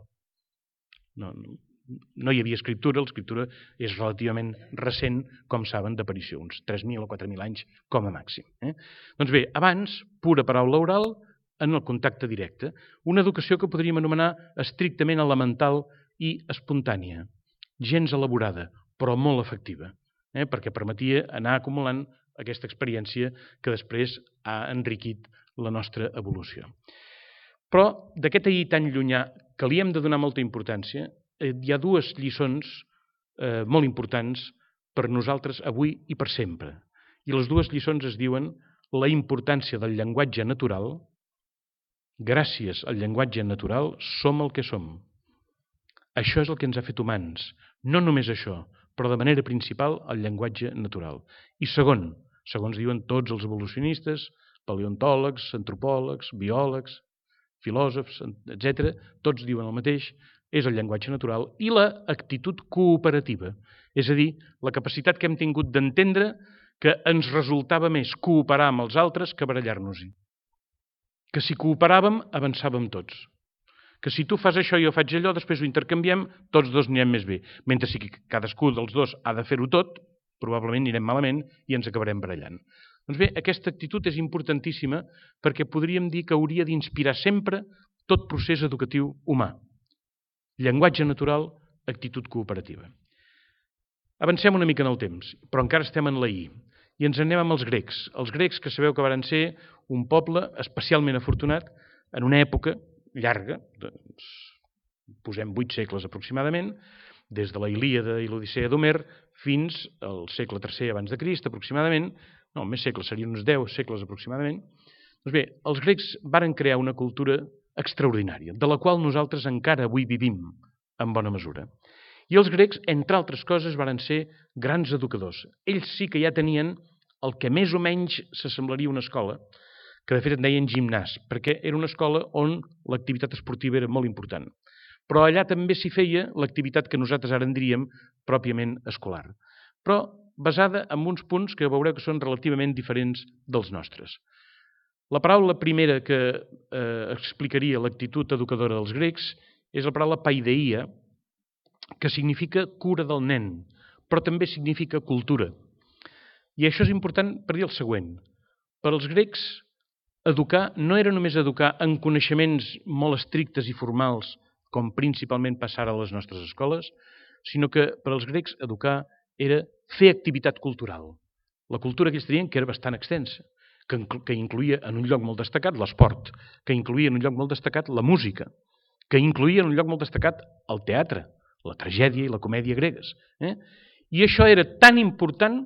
No, no, no hi havia escriptura, l'escriptura és relativament recent, com saben, d'aparició, uns tres mil o quatre mil anys com a màxim. Eh? Doncs bé, abans, pura paraula oral, en el contacte directe. Una educació que podríem anomenar estrictament elemental i espontània, gens elaborada, però molt efectiva, eh? perquè permetia anar acumulant aquesta experiència que després ha enriquit la nostra evolució. Però d'aquest ahir tan llunyà, que li hem de donar molta importància, hi ha dues lliçons eh, molt importants per nosaltres avui i per sempre. I les dues lliçons es diuen la importància del llenguatge natural. Gràcies al llenguatge natural som el que som. Això és el que ens ha fet humans. No només això, però de manera principal el llenguatge natural. I segon, segons diuen tots els evolucionistes, paleontòlegs, antropòlegs, biòlegs, filòsofs, etcètera, tots diuen el mateix, és el llenguatge natural i l'actitud cooperativa, és a dir, la capacitat que hem tingut d'entendre que ens resultava més cooperar amb els altres que barallar-nos-hi. Que si cooperàvem, avançàvem tots. Que si tu fas això i jo faig allò, després ho intercanviem, tots dos anirem més bé. Mentre si cadascú dels dos ha de fer-ho tot, probablement anirem malament i ens acabarem barallant. Doncs bé, aquesta actitud és importantíssima perquè podríem dir que hauria d'inspirar sempre tot procés educatiu humà. Llenguatge natural, actitud cooperativa. Avancem una mica en el temps, però encara estem en l'ahir. I ens anem amb els grecs. Els grecs que sabeu que varen ser un poble especialment afortunat en una època llarga, doncs, posem vuit segles aproximadament, des de la Ilíada i l'Odissea d'Homer fins al segle tercer abans de Crist aproximadament, no, més segles, serien uns deu segles aproximadament. Doncs bé, els grecs varen crear una cultura extraordinària, de la qual nosaltres encara avui vivim en bona mesura. I els grecs, entre altres coses, varen ser grans educadors. Ells sí que ja tenien el que més o menys s'assemblaria a una escola, que de fet en deien gimnàs, perquè era una escola on l'activitat esportiva era molt important. Però allà també s'hi feia l'activitat que nosaltres ara en diríem pròpiament escolar, però basada en uns punts que veureu que són relativament diferents dels nostres. La paraula primera que eh, explicaria l'actitud educadora dels grecs és la paraula paideia, que significa cura del nen, però també significa cultura. I això és important per dir el següent. Per als grecs, educar no era només educar en coneixements molt estrictes i formals, com principalment passara a les nostres escoles, sinó que per als grecs educar era fer activitat cultural. La cultura que ells tenien que era bastant extensa, que, que incluïa en un lloc molt destacat l'esport, que incluïa en un lloc molt destacat la música, que incluïa en un lloc molt destacat el teatre, la tragèdia i la comèdia gregues. Eh? I això era tan important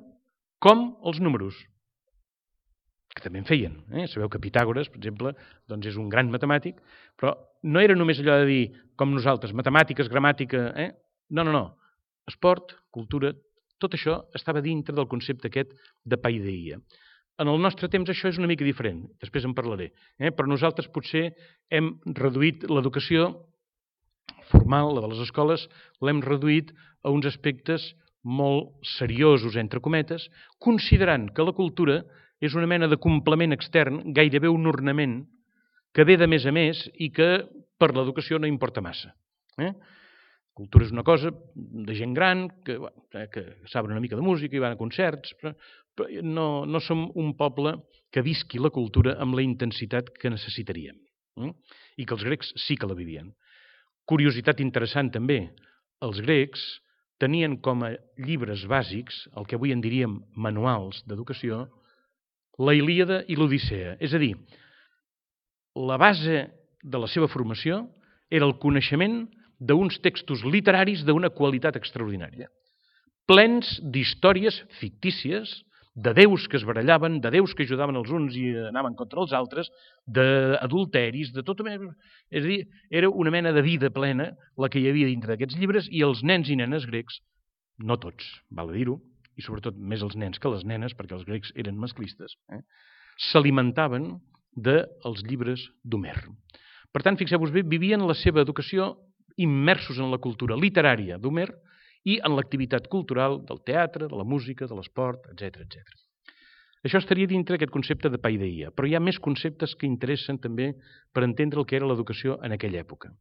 com els números, que també en feien. Eh? Sabeu que Pitàgores, per exemple, doncs és un gran matemàtic, però no era només allò de dir, com nosaltres, matemàtiques, gramàtica... Eh? No, no, no. Esport, cultura, tot això estava dintre del concepte aquest de paideia. En el nostre temps això és una mica diferent, després en parlaré, eh? Però nosaltres potser hem reduït l'educació formal, la de les escoles, l'hem reduït a uns aspectes molt seriosos, entre cometes, considerant que la cultura és una mena de complement extern, gairebé un ornament, que ve de més a més i que per l'educació no importa massa. Eh? Cultura és una cosa de gent gran, que, que saben una mica de música i van a concerts, però, però no, no som un poble que visqui la cultura amb la intensitat que necessitaríem. Eh? I que els grecs sí que la vivien. Curiositat interessant també, els grecs tenien com a llibres bàsics, el que avui en diríem manuals d'educació, la Ilíada i l'Odissea. És a dir, la base de la seva formació era el coneixement d'uns textos literaris d'una qualitat extraordinària, plens d'històries fictícies, de déus que es barallaven, de déus que ajudaven els uns i anaven contra els altres, d'adulteris, de tot... És a dir, era una mena de vida plena la que hi havia dintre d'aquests llibres i els nens i nenes grecs, no tots, val a dir-ho, i sobretot més els nens que les nenes, perquè els grecs eren masclistes, eh? s'alimentaven dels llibres d'Homer. Per tant, fixeu-vos bé, vivien la seva educació immersos en la cultura literària d'Homer i en l'activitat cultural del teatre, de la música, de l'esport, etcètera, etcètera. Això estaria dintre aquest concepte de paideia, però hi ha més conceptes que interessen també per entendre el que era l'educació en aquella època.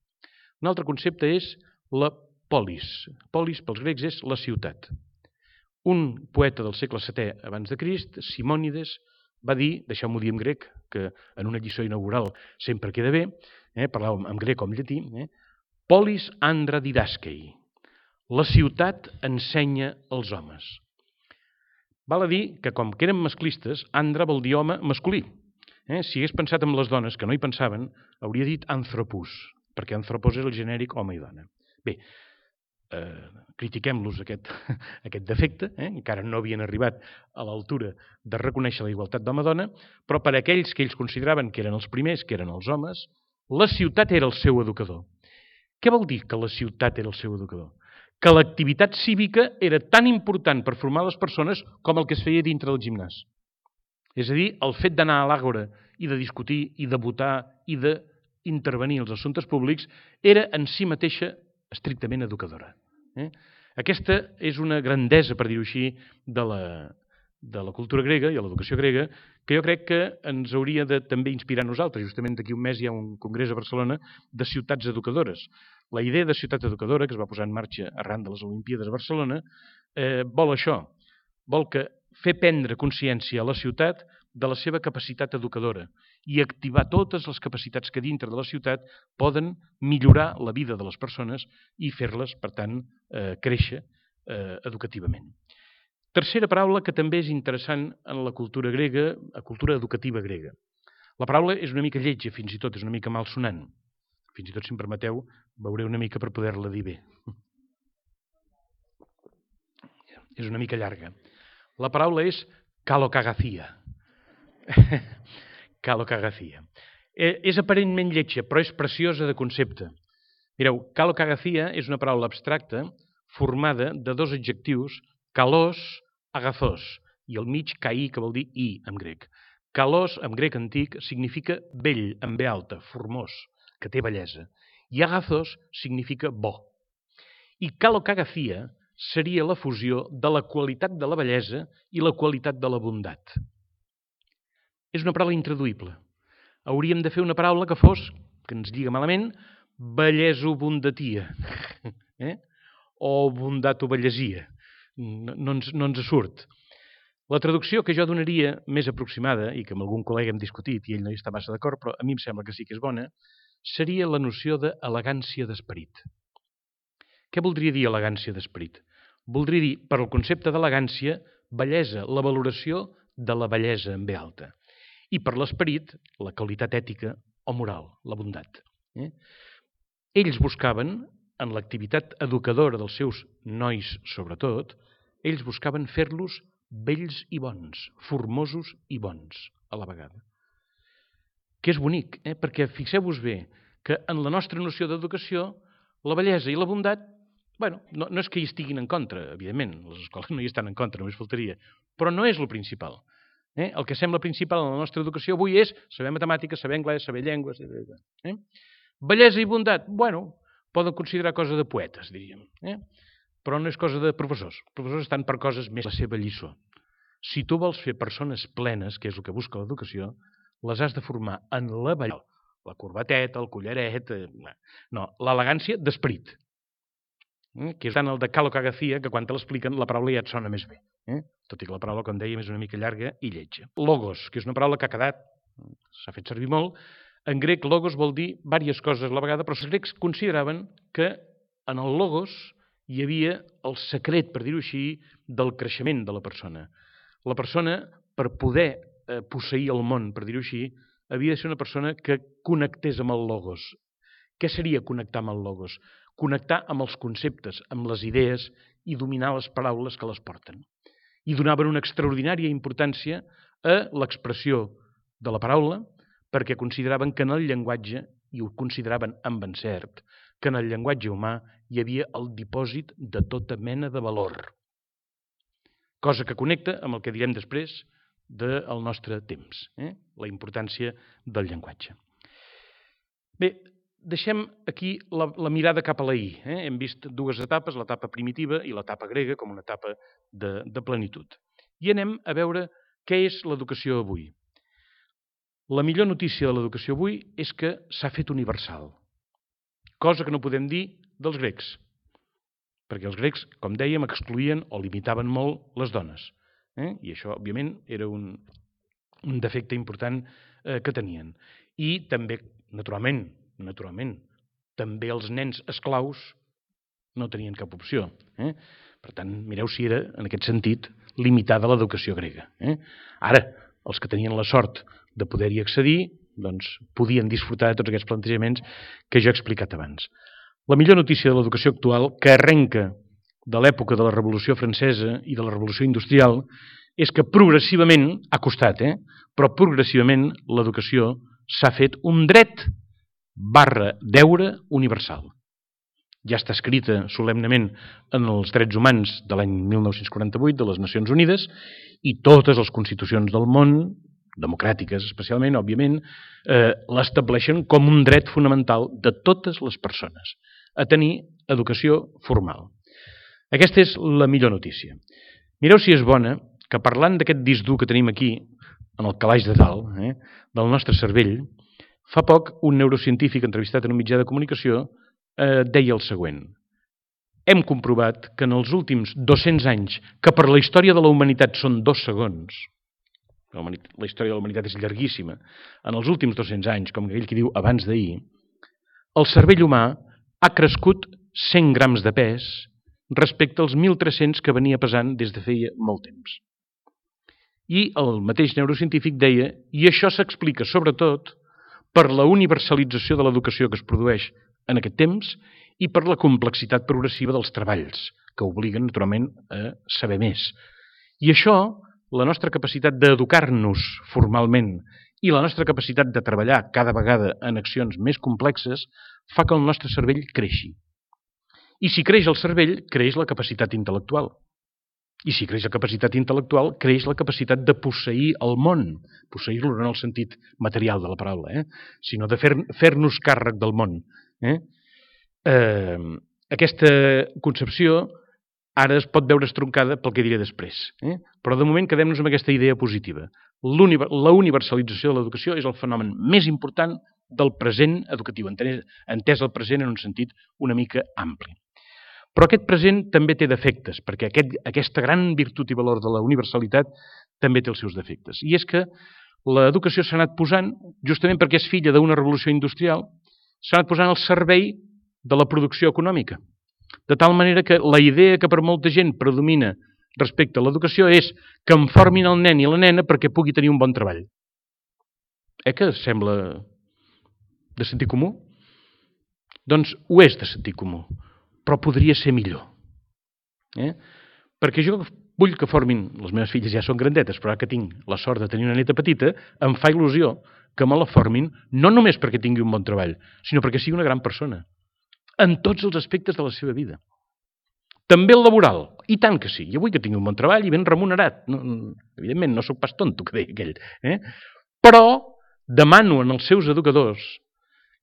Un altre concepte és la polis. Polis, pels grecs, és la ciutat. Un poeta del segle setè abans de Crist, Simònides, va dir, deixeu-m'ho dir en grec, que en una lliçó inaugural sempre queda bé, eh, parlar en grec o en llatí, eh, polis andra didaskei. La ciutat ensenya els homes. Val a dir que, com que eren masclistes, andra vol dir home masculí. Eh? Si hagués pensat en les dones, que no hi pensaven, hauria dit anthropus, perquè anthropos és el genèric home i dona. Bé, eh, critiquem-los aquest, aquest defecte, eh? Encara no havien arribat a l'altura de reconèixer la igualtat d'home-dona, però per a aquells que ells consideraven que eren els primers, que eren els homes, la ciutat era el seu educador. Què vol dir que la ciutat era el seu educador? Que l'activitat cívica era tan important per formar les persones com el que es feia dintre del gimnàs. És a dir, el fet d'anar a l'àgora i de discutir i de votar i d'intervenir als assumptes públics era en si mateixa estrictament educadora. Eh? Aquesta és una grandesa, per dir-ho així, de la, de la cultura grega i de l'educació grega, que jo crec que ens hauria de també inspirar a nosaltres. Justament d'aquí un mes hi ha un congrés a Barcelona de ciutats educadores. La idea de ciutat educadora, que es va posar en marxa arran de les Olimpíades a Barcelona, eh, vol això, vol que fer prendre consciència a la ciutat de la seva capacitat educadora i activar totes les capacitats que dintre de la ciutat poden millorar la vida de les persones i fer-les, per tant, eh, créixer eh, educativament. Tercera paraula que també és interessant en la cultura grega, la cultura educativa grega. La paraula és una mica lletja, fins i tot, és una mica malsonant. Fins i tot, si em permeteu, veuré una mica per poder-la dir bé. És una mica llarga. La paraula és calocagacia. Calocagacia. Eh, és aparentment lletja, però és preciosa de concepte. Mireu, calocagacia és una paraula abstracta formada de dos adjectius, kalos, agathos, i al mig kai, que vol dir i, en grec. Kalos, en grec antic, significa bell, amb be alta, formós, que té bellesa. I agathos significa bo. I calocagacia seria la fusió de la qualitat de la bellesa i la qualitat de la bondat. És una paraula intraduïble. Hauríem de fer una paraula que fos, que ens lliga malament, belleso-bondatia, eh? o bondato-bellesia. No, no, ens, no ens surt. La traducció que jo donaria més aproximada, i que amb algun col·lega hem discutit i ell no hi està massa d'acord, però a mi em sembla que sí que és bona, seria la noció d'elegància d'esperit. Què voldria dir elegància d'esperit? Voldria dir, per al concepte d'elegància, bellesa, la valoració de la bellesa en ve alta. I per l'esperit, la qualitat ètica o moral, la bondat. Eh? Ells buscaven, en l'activitat educadora dels seus nois sobretot, ells buscaven fer-los bells i bons, formosos i bons a la vegada. Que és bonic, eh? Perquè fixeu-vos bé que en la nostra noció d'educació la bellesa i la bondat, bueno, no, no és que hi estiguin en contra, evidentment, les escoles no hi estan en contra, només faltaria, però no és el principal. Eh? El que sembla principal en la nostra educació avui és saber matemàtiques, saber anglès, saber llengües, etcètera. Eh? Bellesa i bondat, bueno, poden considerar cosa de poetes, diríem, eh? Però no és cosa de professors. Els professors estan per coses més la seva lliçó. Si tu vols fer persones plenes, que és el que busca l'educació, les has de formar en la bellesa, la corbateta, el collaret, eh, no, l'elegància d'esperit, eh? Que és tant el de calocagacia, que quan te l'expliquen la paraula ja et sona més bé, eh? Tot i que la paraula, com dèiem, és una mica llarga i lletja. Logos, que és una paraula que ha quedat, s'ha fet servir molt. En grec, logos vol dir diverses coses a la vegada, però els grecs consideraven que en el logos hi havia el secret, per dir-ho així, del creixement de la persona. La persona, per poder eh, posseir el món, per dir-ho així, havia de ser una persona que connectés amb el logos. Què seria connectar amb el logos? Connectar amb els conceptes, amb les idees i dominar les paraules que les porten. I donaven una extraordinària importància a l'expressió de la paraula, perquè consideraven que en el llenguatge, i ho consideraven amb encert, que en el llenguatge humà hi havia el dipòsit de tota mena de valor. Cosa que connecta amb el que direm després del nostre temps, eh? La importància del llenguatge. Bé, deixem aquí la, la mirada cap a l'ahir. Eh? Hem vist dues etapes, l'etapa primitiva i l'etapa grega, com una etapa de, de plenitud. I anem a veure què és l'educació avui. La millor notícia de l'educació avui és que s'ha fet universal, cosa que no podem dir dels grecs, perquè els grecs, com dèiem, excloïen o limitaven molt les dones. Eh? I això, òbviament, era un, un defecte important eh, que tenien. I també, naturalment, naturalment, també els nens esclaus no tenien cap opció. Eh? Per tant, mireu si era, en aquest sentit, limitada l'educació grega. Eh? Ara, els que tenien la sort de poder-hi accedir, doncs podien disfrutar de tots aquests plantejaments que jo he explicat abans. La millor notícia de l'educació actual, que arrenca de l'època de la Revolució Francesa i de la Revolució Industrial, és que progressivament, ha costat, eh? però progressivament l'educació s'ha fet un dret barra deure universal. Ja està escrita solemnement en els drets humans de l'any mil nou-cents quaranta-vuit de les Nacions Unides i totes les constitucions del món, democràtiques especialment, òbviament, eh, l'estableixen com un dret fonamental de totes les persones a tenir educació formal. Aquesta és la millor notícia. Mireu si és bona que parlant d'aquest disc dur que tenim aquí, en el calaix de dalt, eh, del nostre cervell, fa poc un neurocientífic entrevistat en un mitjà de comunicació eh, deia el següent. Hem comprovat que en els últims dos-cents anys, que per la història de la humanitat són dos segons, la història de la humanitat és llarguíssima, en els últims dos-cents anys, com aquell que diu abans d'ahir, el cervell humà ha crescut cent grams de pes respecte als mil tres-cents que venia pesant des de feia molt temps. I el mateix neurocientífic deia, i això s'explica sobretot per la universalització de l'educació que es produeix en aquest temps i per la complexitat progressiva dels treballs, que obliguen naturalment a saber més. I això, la nostra capacitat d'educar-nos formalment i la nostra capacitat de treballar cada vegada en accions més complexes fa que el nostre cervell creixi. I si creix el cervell, creix la capacitat intel·lectual. I si creix la capacitat intel·lectual, creix la capacitat de posseir el món. Posseir-lo no en el sentit material de la paraula, eh? sinó de fer, fer-nos càrrec del món. Eh? Eh, aquesta concepció ara es pot veure estroncada pel que diré després. Eh? Però de moment quedem-nos amb aquesta idea positiva. La universalització de l'educació és el fenomen més important del present educatiu, entès el present en un sentit una mica ampli. Però aquest present també té defectes, perquè aquest, aquesta gran virtut i valor de la universalitat també té els seus defectes. I és que l'educació s'ha anat posant, justament perquè és filla d'una revolució industrial, s'ha anat posant al servei de la producció econòmica. De tal manera que la idea que per molta gent predomina respecte a l'educació és que en formin el nen i la nena perquè pugui tenir un bon treball. Eh que sembla de sentit comú? Doncs ho és de sentit comú, però podria ser millor. Eh? Perquè jo vull que formin, les meves filles ja són grandetes, però ara que tinc la sort de tenir una neta petita, em fa il·lusió que me la formin no només perquè tingui un bon treball, sinó perquè sigui una gran persona, en tots els aspectes de la seva vida. També el laboral, i tant que sí. Jo vull que tingui un bon treball i ben remunerat. No, evidentment, no sóc pas tonto, que deia aquell. Eh? Però demano als seus educadors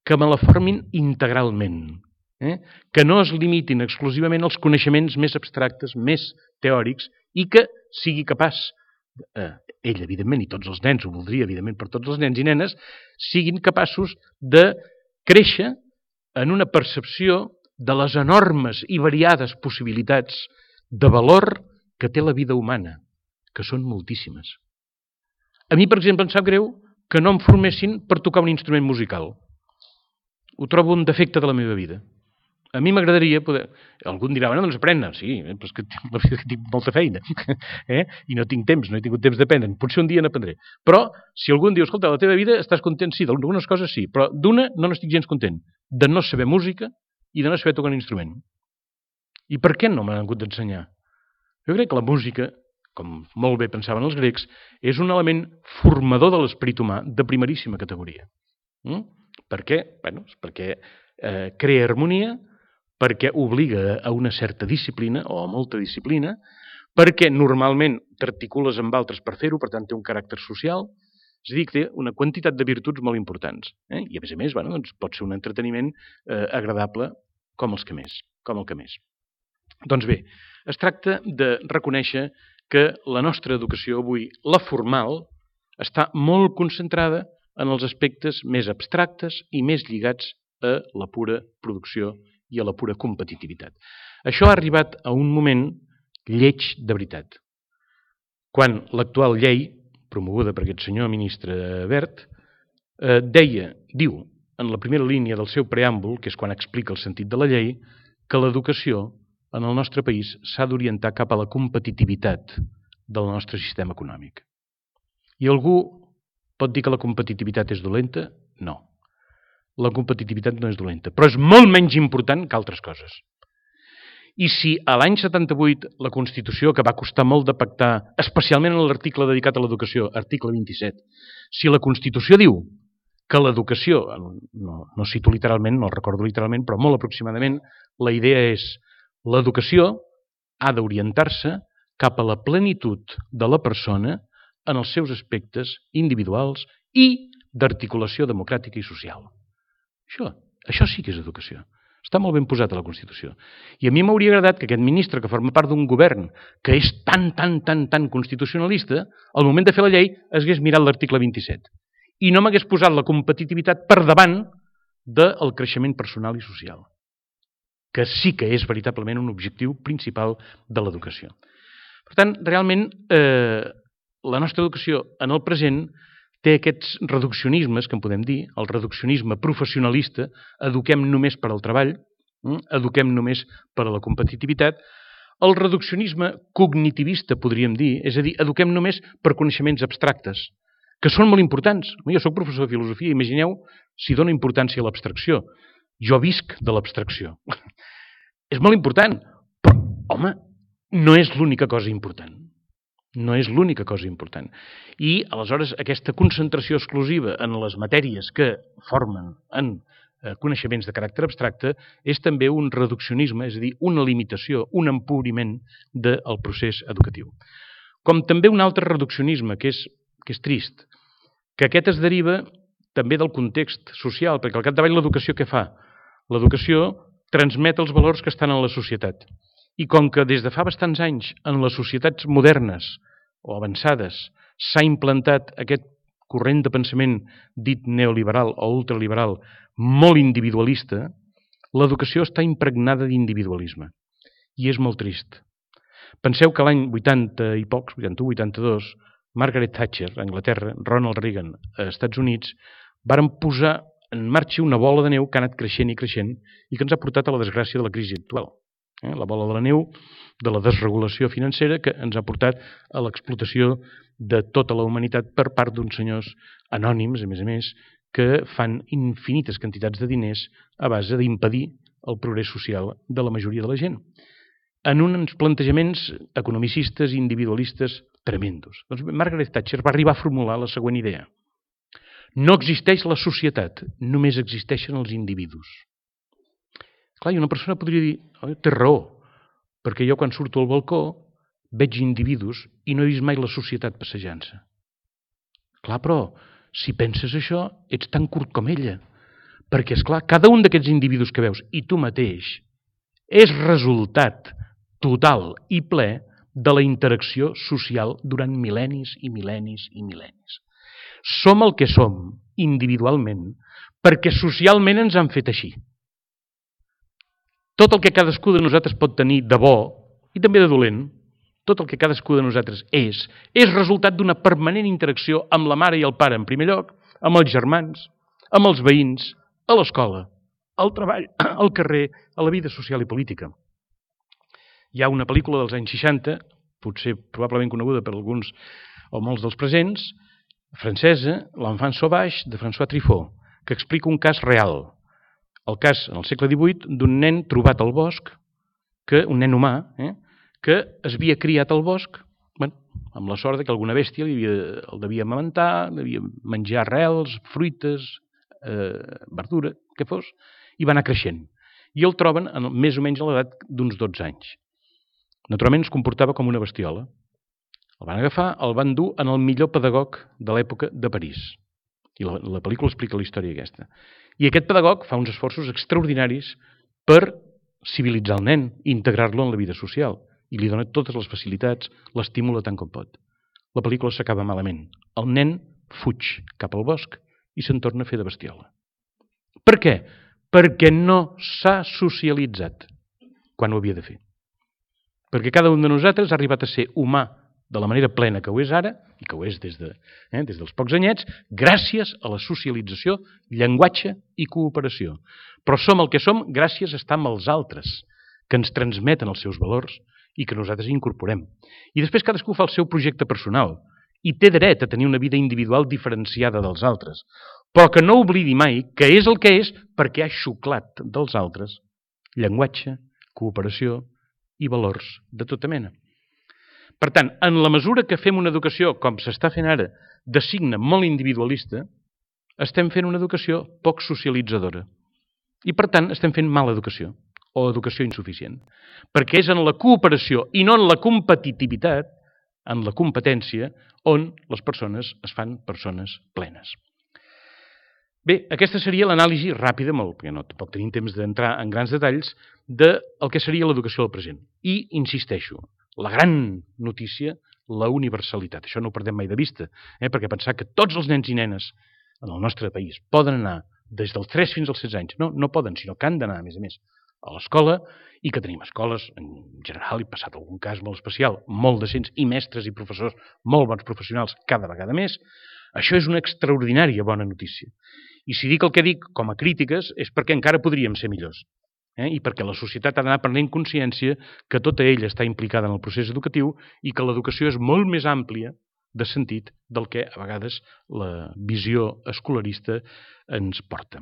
que me la formin integralment, eh? que no es limitin exclusivament als coneixements més abstractes, més teòrics, i que sigui capaç, eh, ell, evidentment, i tots els nens, ho voldria, evidentment, per tots els nens i nenes, siguin capaços de créixer en una percepció de les enormes i variades possibilitats de valor que té la vida humana, que són moltíssimes. A mi, per exemple, em sap greu que no em formessin per tocar un instrument musical. Ho trobo un defecte de la meva vida. A mi m'agradaria poder... Algú em dirà, bueno, doncs aprendre. Sí, però és que la veritat que tinc molta feina. eh? I no tinc temps, no he tingut temps d'aprendre. Potser un dia n'aprendré. Però si algú em diu, escolta, la teva vida estàs content? Sí, d'algunes coses sí, però d'una no n'estic gens content. De no saber música i de no saber tocar un instrument. I per què no m'han hagut d'ensenyar? Jo crec que la música, com molt bé pensaven els grecs, és un element formador de l'esperit humà de primeríssima categoria. Mm? Per què? Bueno, perquè eh, crea harmonia, perquè obliga a una certa disciplina, o a molta disciplina, perquè normalment t'articules amb altres per fer-ho, per tant té un caràcter social, és a dir, que té una quantitat de virtuts molt importants. Eh? I a més a més, bueno, doncs pot ser un entreteniment eh, agradable com els que més, com el que més. Doncs bé, es tracta de reconèixer que la nostra educació avui, la formal, està molt concentrada en els aspectes més abstractes i més lligats a la pura producció i a la pura competitivitat. Això ha arribat a un moment lleig de veritat. Quan l'actual llei, promoguda per aquest senyor ministre Wert, eh, deia, diu, en la primera línia del seu preàmbul, que és quan explica el sentit de la llei, que l'educació en el nostre país s'ha d'orientar cap a la competitivitat del nostre sistema econòmic. I algú Pot dir que la competitivitat és dolenta? No. La competitivitat no és dolenta, però és molt menys important que altres coses. I si a l'any setanta-vuit la Constitució, que va costar molt de pactar, especialment en l'article dedicat a l'educació, article vint-i-set, si la Constitució diu que l'educació, no, no cito literalment, no el recordo literalment, però molt aproximadament, la idea és l'educació ha d'orientar-se cap a la plenitud de la persona en els seus aspectes individuals i d'articulació democràtica i social. Això, això sí que és educació. Està molt ben posat a la Constitució. I a mi m'hauria agradat que aquest ministre, que forma part d'un govern que és tan, tan, tan, tan constitucionalista, al moment de fer la llei es hagués mirat l'article vint-i-set i no m'hagués posat la competitivitat per davant del creixement personal i social, que sí que és veritablement un objectiu principal de l'educació. Per tant, realment, eh, la nostra educació en el present té aquests reduccionismes, que en podem dir, el reduccionisme professionalista, eduquem només per al treball, eduquem només per a la competitivitat, el reduccionisme cognitivista, podríem dir, és a dir, eduquem només per coneixements abstractes, que són molt importants. Jo soc professor de filosofia, imagineu si dona importància a l'abstracció. Jo visc de l'abstracció. És molt important, però, home, no és l'única cosa important. No és l'única cosa important. I, aleshores, aquesta concentració exclusiva en les matèries que formen en coneixements de caràcter abstracte és també un reduccionisme, és a dir, una limitació, un empobriment del procés educatiu. Com també un altre reduccionisme, que és, que és trist, que aquest es deriva també del context social, perquè al capdavall l'educació què fa? L'educació transmet els valors que estan en la societat. I com que des de fa bastants anys en les societats modernes o avançades s'ha implantat aquest corrent de pensament dit neoliberal o ultraliberal molt individualista, l'educació està impregnada d'individualisme. I és molt trist. Penseu que l'any vuitanta i pocs, vuitanta-u vuitanta-dos, Margaret Thatcher, a Anglaterra, Ronald Reagan, als Estats Units, varen posar en marxa una bola de neu que ha anat creixent i creixent i que ens ha portat a la desgràcia de la crisi actual. Eh? La bola de la neu de la desregulació financera que ens ha portat a l'explotació de tota la humanitat per part d'uns senyors anònims, a més a més, que fan infinites quantitats de diners a base d'impedir el progrés social de la majoria de la gent, en uns plantejaments economicistes i individualistes tremendos. Doncs Margaret Thatcher va arribar a formular la següent idea. No existeix la societat, només existeixen els individus. Clar, i una persona podria dir, oh, té raó, perquè jo quan surto al balcó veig individus i no he vist mai la societat passejant-se. Clar, però, si penses això, ets tan curt com ella. Perquè, esclar, cada un d'aquests individus que veus, i tu mateix, és resultat total i ple de la interacció social durant mil·lennis i mil·lennis i mil·lennis. Som el que som, individualment, perquè socialment ens han fet així. Tot el que cadascú de nosaltres pot tenir de bo, i també de dolent, tot el que cadascú de nosaltres és, és resultat d'una permanent interacció amb la mare i el pare, en primer lloc, amb els germans, amb els veïns, a l'escola, al treball, al carrer, a la vida social i política. Hi ha una pel·lícula dels anys seixanta, potser probablement coneguda per alguns o molts dels presents, francesa, L'Enfant sauvage, de François Truffaut, que explica un cas real. El cas, en el segle divuit, d'un nen trobat al bosc, que, un nen humà, eh, que es havia criat al bosc, bueno, amb la sort que alguna bèstia li havia, el devia amamentar, devia menjar arrels, fruites, eh, verdura, què fos, i va anar creixent. I el troben en, més o menys a l'edat d'uns dotze anys. Naturalment es comportava com una bestiola. El van agafar, el van dur en el millor pedagog de l'època de París. I la, la pel·lícula explica la història aquesta. I aquest pedagog fa uns esforços extraordinaris per civilitzar el nen i integrar-lo en la vida social. I li dona totes les facilitats, l'estimula tant com pot. La pel·lícula s'acaba malament. El nen fuig cap al bosc i se'n torna a fer de bestiola. Per què? Perquè no s'ha socialitzat quan ho havia de fer. Perquè cada un de nosaltres ha arribat a ser humà de la manera plena que ho és ara, i que ho és des, de, eh, des dels pocs anyets, gràcies a la socialització, llenguatge i cooperació. Però som el que som gràcies a estar amb els altres, que ens transmeten els seus valors i que nosaltres incorporem. I després cadascú fa el seu projecte personal, i té dret a tenir una vida individual diferenciada dels altres, però que no oblidi mai que és el que és perquè ha xuclat dels altres llenguatge, cooperació i valors de tota mena. Per tant, en la mesura que fem una educació, com s'està fent ara, de signe molt individualista, estem fent una educació poc socialitzadora. I, per tant, estem fent mala educació, o educació insuficient. Perquè és en la cooperació i no en la competitivitat, en la competència, on les persones es fan persones plenes. Bé, aquesta seria l'anàlisi ràpida, molt, perquè no tampoc tenim temps d'entrar en grans detalls, del que seria l'educació del present. I, insisteixo, la gran notícia, la universalitat. Això no ho perdem mai de vista, eh? perquè pensar que tots els nens i nenes en el nostre país poden anar des dels tres fins als setze anys. No, no poden, sinó que han d'anar, a més a més, a l'escola, i que tenim escoles, en general, i passat algun cas molt especial, molt decents, i mestres i professors, molt bons professionals, cada vegada més. Això és una extraordinària bona notícia. I si dic el que dic com a crítiques és perquè encara podríem ser millors. Eh? I perquè la societat ha d'anar prenent consciència que tota ella està implicada en el procés educatiu i que l'educació és molt més àmplia de sentit del que a vegades la visió escolarista ens porta.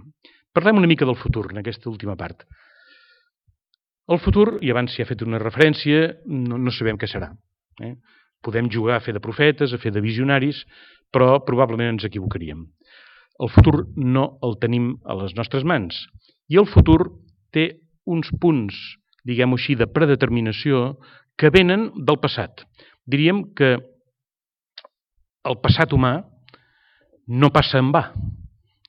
Parlem una mica del futur en aquesta última part. El futur, i abans s'hi ha fet una referència, no, no sabem què serà. Eh? Podem jugar a fer de profetes, a fer de visionaris, però probablement ens equivocaríem. El futur no el tenim a les nostres mans. I el futur té uns punts, diguem-ho així, de predeterminació que venen del passat. Diríem que el passat humà no passa en va.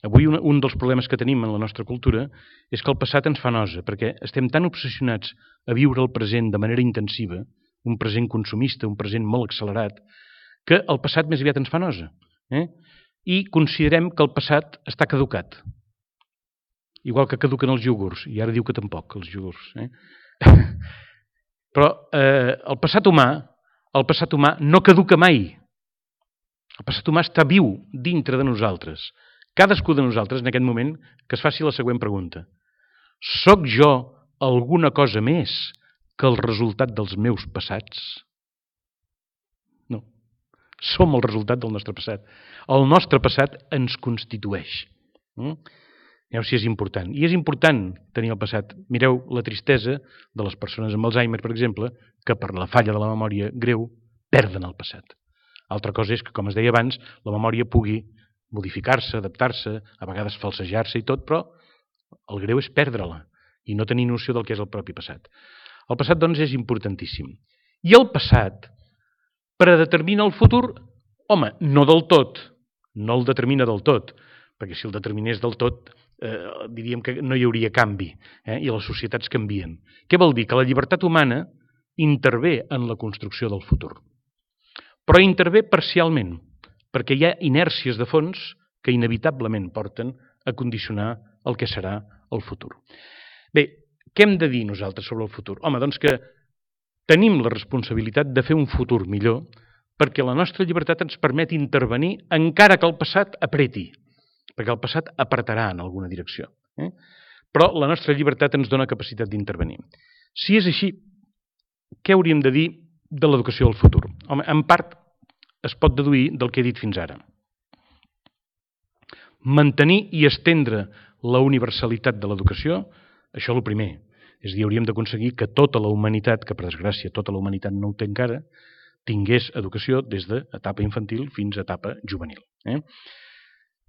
Avui un, un dels problemes que tenim en la nostra cultura és que el passat ens fa nosa, perquè estem tan obsessionats a viure el present de manera intensiva, un present consumista, un present molt accelerat, que el passat més aviat ens fa nosa. Eh? I considerem que el passat està caducat. Igual que caduquen els iogurts, i ara diu que tampoc, els iogurts. Eh? Però eh, el passat humà, el passat humà no caduca mai. El passat humà està viu dintre de nosaltres. Cadascú de nosaltres, en aquest moment, que es faci la següent pregunta. Soc jo alguna cosa més que el resultat dels meus passats? No. Som el resultat del nostre passat. El nostre passat ens constitueix. Mm? Mireu si és important. I és important tenir el passat. Mireu la tristesa de les persones amb Alzheimer, per exemple, que per la falla de la memòria greu perden el passat. Altra cosa és que, com es deia abans, la memòria pugui modificar-se, adaptar-se, a vegades falsejar-se i tot, però el greu és perdre-la i no tenir noció del que és el propi passat. El passat, doncs, és importantíssim. I el passat predetermina el futur? Home, no del tot, no el determina del tot, perquè si el determinés del tot, eh, diríem que no hi hauria canvi, eh, i les societats canvien. Què vol dir? Que la llibertat humana intervé en la construcció del futur. Però intervé parcialment, perquè hi ha inèrcies de fons que inevitablement porten a condicionar el que serà el futur. Bé, què hem de dir nosaltres sobre el futur? Home, doncs que tenim la responsabilitat de fer un futur millor perquè la nostra llibertat ens permet intervenir encara que el passat apreti, perquè el passat apretarà en alguna direcció. Eh? Però la nostra llibertat ens dona capacitat d'intervenir. Si és així, què hauríem de dir de l'educació del futur? Home, en part es pot deduir del que he dit fins ara. Mantenir i estendre la universalitat de l'educació, això és el primer. És a dir, hauríem d'aconseguir que tota la humanitat, que per desgràcia tota la humanitat no ho té encara, tingués educació des d'etapa infantil fins a etapa juvenil. Eh?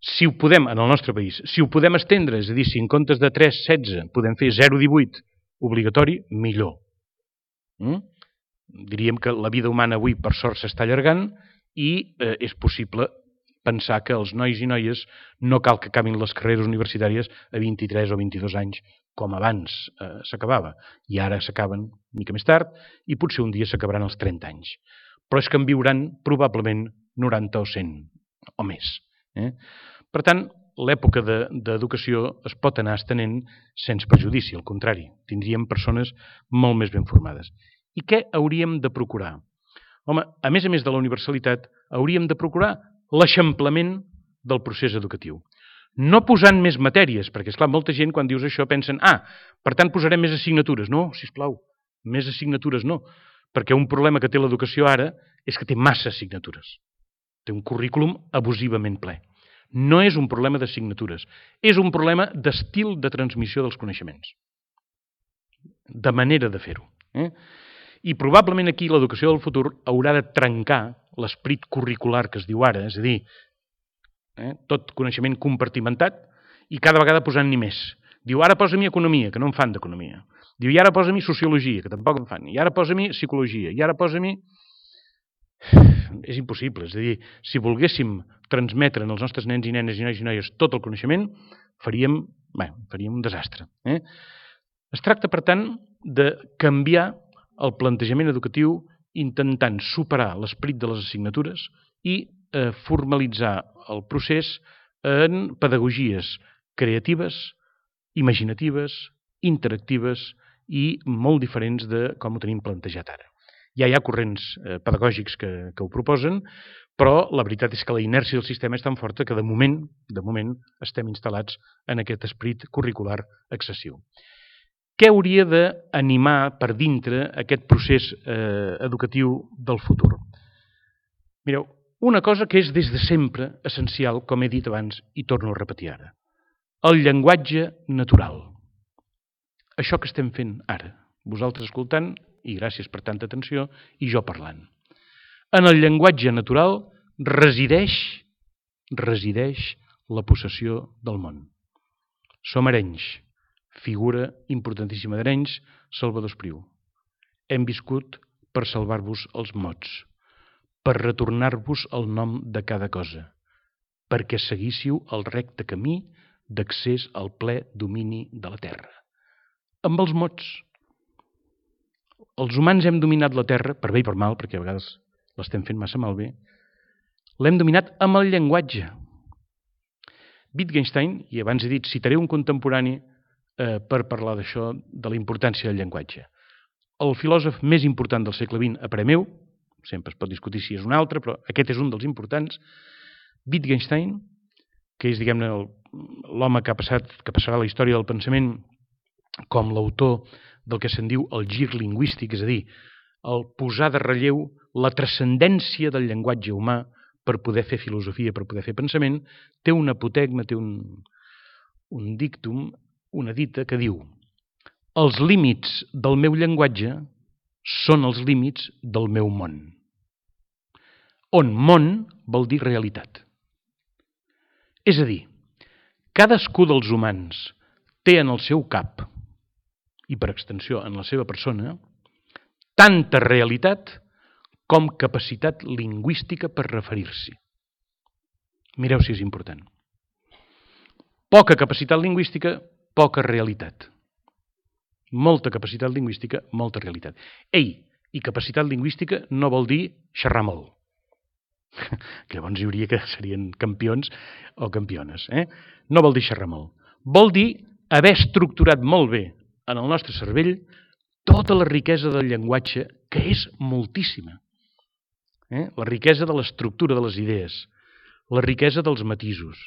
Si ho podem, en el nostre país, si ho podem estendre, és a dir, si en comptes de tres coma setze podem fer zero coma divuit obligatori, millor. Mm? Diríem que la vida humana avui, per sort, s'està allargant i eh, és possible pensar que els nois i noies no cal que acabin les carreres universitàries a vint-i-tres o vint-i-dos anys, com abans eh, s'acabava. I ara s'acaben una mica més tard i potser un dia s'acabaran als trenta anys. Però és que en viuran probablement noranta o cent o més. Eh? Per tant, l'època d'educació es pot anar estenent sense perjudici, al contrari, tindríem persones molt més ben formades. I què hauríem de procurar? Home, a més a més de la universalitat, hauríem de procurar l'eixamplament del procés educatiu. No posant més matèries, perquè, esclar, molta gent quan dius això pensen ah, per tant posarem més assignatures. No, sisplau, més assignatures no, perquè un problema que té l'educació ara és que té massa assignatures. Té un currículum abusivament ple. No és un problema d'assignatures, és un problema d'estil de transmissió dels coneixements, de manera de fer-ho. Eh? I probablement aquí l'educació del futur haurà de trencar l'esperit curricular que es diu ara, és a dir, eh, tot coneixement compartimentat i cada vegada posant-n'hi més. Diu, ara posa-m'hi economia, que no en fan d'economia. Diu, i ara posa-m'hi sociologia, que tampoc en fan. I ara posa-m'hi psicologia, i ara posa-m'hi... És impossible, és a dir, si volguéssim transmetre als nostres nens i nenes i nois i noies tot el coneixement, faríem, bé, faríem un desastre. Eh? Es tracta, per tant, de canviar el plantejament educatiu intentant superar l'esperit de les assignatures i eh, formalitzar el procés en pedagogies creatives, imaginatives, interactives i molt diferents de com ho tenim plantejat ara. Ja hi ha corrents eh, pedagògics que, que ho proposen, però la veritat és que la inèrcia del sistema és tan forta que de moment, de moment estem instal·lats en aquest esperit curricular excessiu. Què hauria d'animar per dintre aquest procés eh, educatiu del futur? Mireu, una cosa que és des de sempre essencial, com he dit abans i torno a repetir ara. El llenguatge natural. Això que estem fent ara, vosaltres escoltant, i gràcies per tanta atenció, i jo parlant. En el llenguatge natural resideix, resideix la possessió del món. Som Arenys, figura importantíssima d'Arenys, Salvador Espriu. Hem viscut per salvar-vos els mots, per retornar-vos el nom de cada cosa, perquè seguíssiu el recte camí d'accés al ple domini de la terra. Amb els mots. Els humans hem dominat la terra, per bé i per mal, perquè a vegades l'estem fent massa malbé, l'hem dominat amb el llenguatge. Wittgenstein, i abans he dit, citaré un contemporani eh, per parlar d'això, de la importància del llenguatge. El filòsof més important del segle vint, a parer meu, sempre es pot discutir si és un altre, però aquest és un dels importants, Wittgenstein, que és, diguem-ne, l'home que ha passat, que passarà a la història del pensament com l'autor del que se'n diu el gir lingüístic, és a dir, el posar de relleu la transcendència del llenguatge humà per poder fer filosofia, per poder fer pensament, té un apotegma, té un, un dictum, una dita que diu: els límits del meu llenguatge són els límits del meu món. On món vol dir realitat. És a dir, cadascú dels humans té en el seu cap, i per extensió en la seva persona, tanta realitat com capacitat lingüística per referir-s'hi. Mireu si és important. Poca capacitat lingüística, poca realitat. Molta capacitat lingüística, molta realitat. Ei, i capacitat lingüística no vol dir xerrar molt. Que llavors hi hauria que serien campions o campiones. Eh? No vol dir xerrar molt. Vol dir haver estructurat molt bé en el nostre cervell tota la riquesa del llenguatge, que és moltíssima. Eh? La riquesa de l'estructura de les idees, la riquesa dels matisos,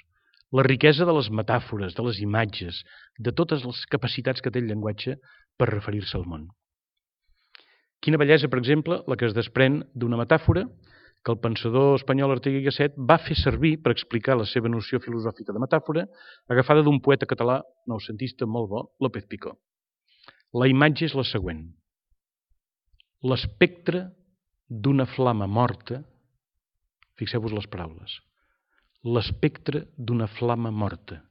la riquesa de les metàfores, de les imatges, de totes les capacitats que té el llenguatge per referir-se al món. Quina bellesa, per exemple, la que es desprèn d'una metàfora que el pensador espanyol Ortega i Gasset va fer servir per explicar la seva noció filosòfica de metàfora, agafada d'un poeta català noucentista molt bo, López Picó. La imatge és la següent. L'espectre d'una flama morta, fixeu-vos les paraules, l'espectre d'una flama morta,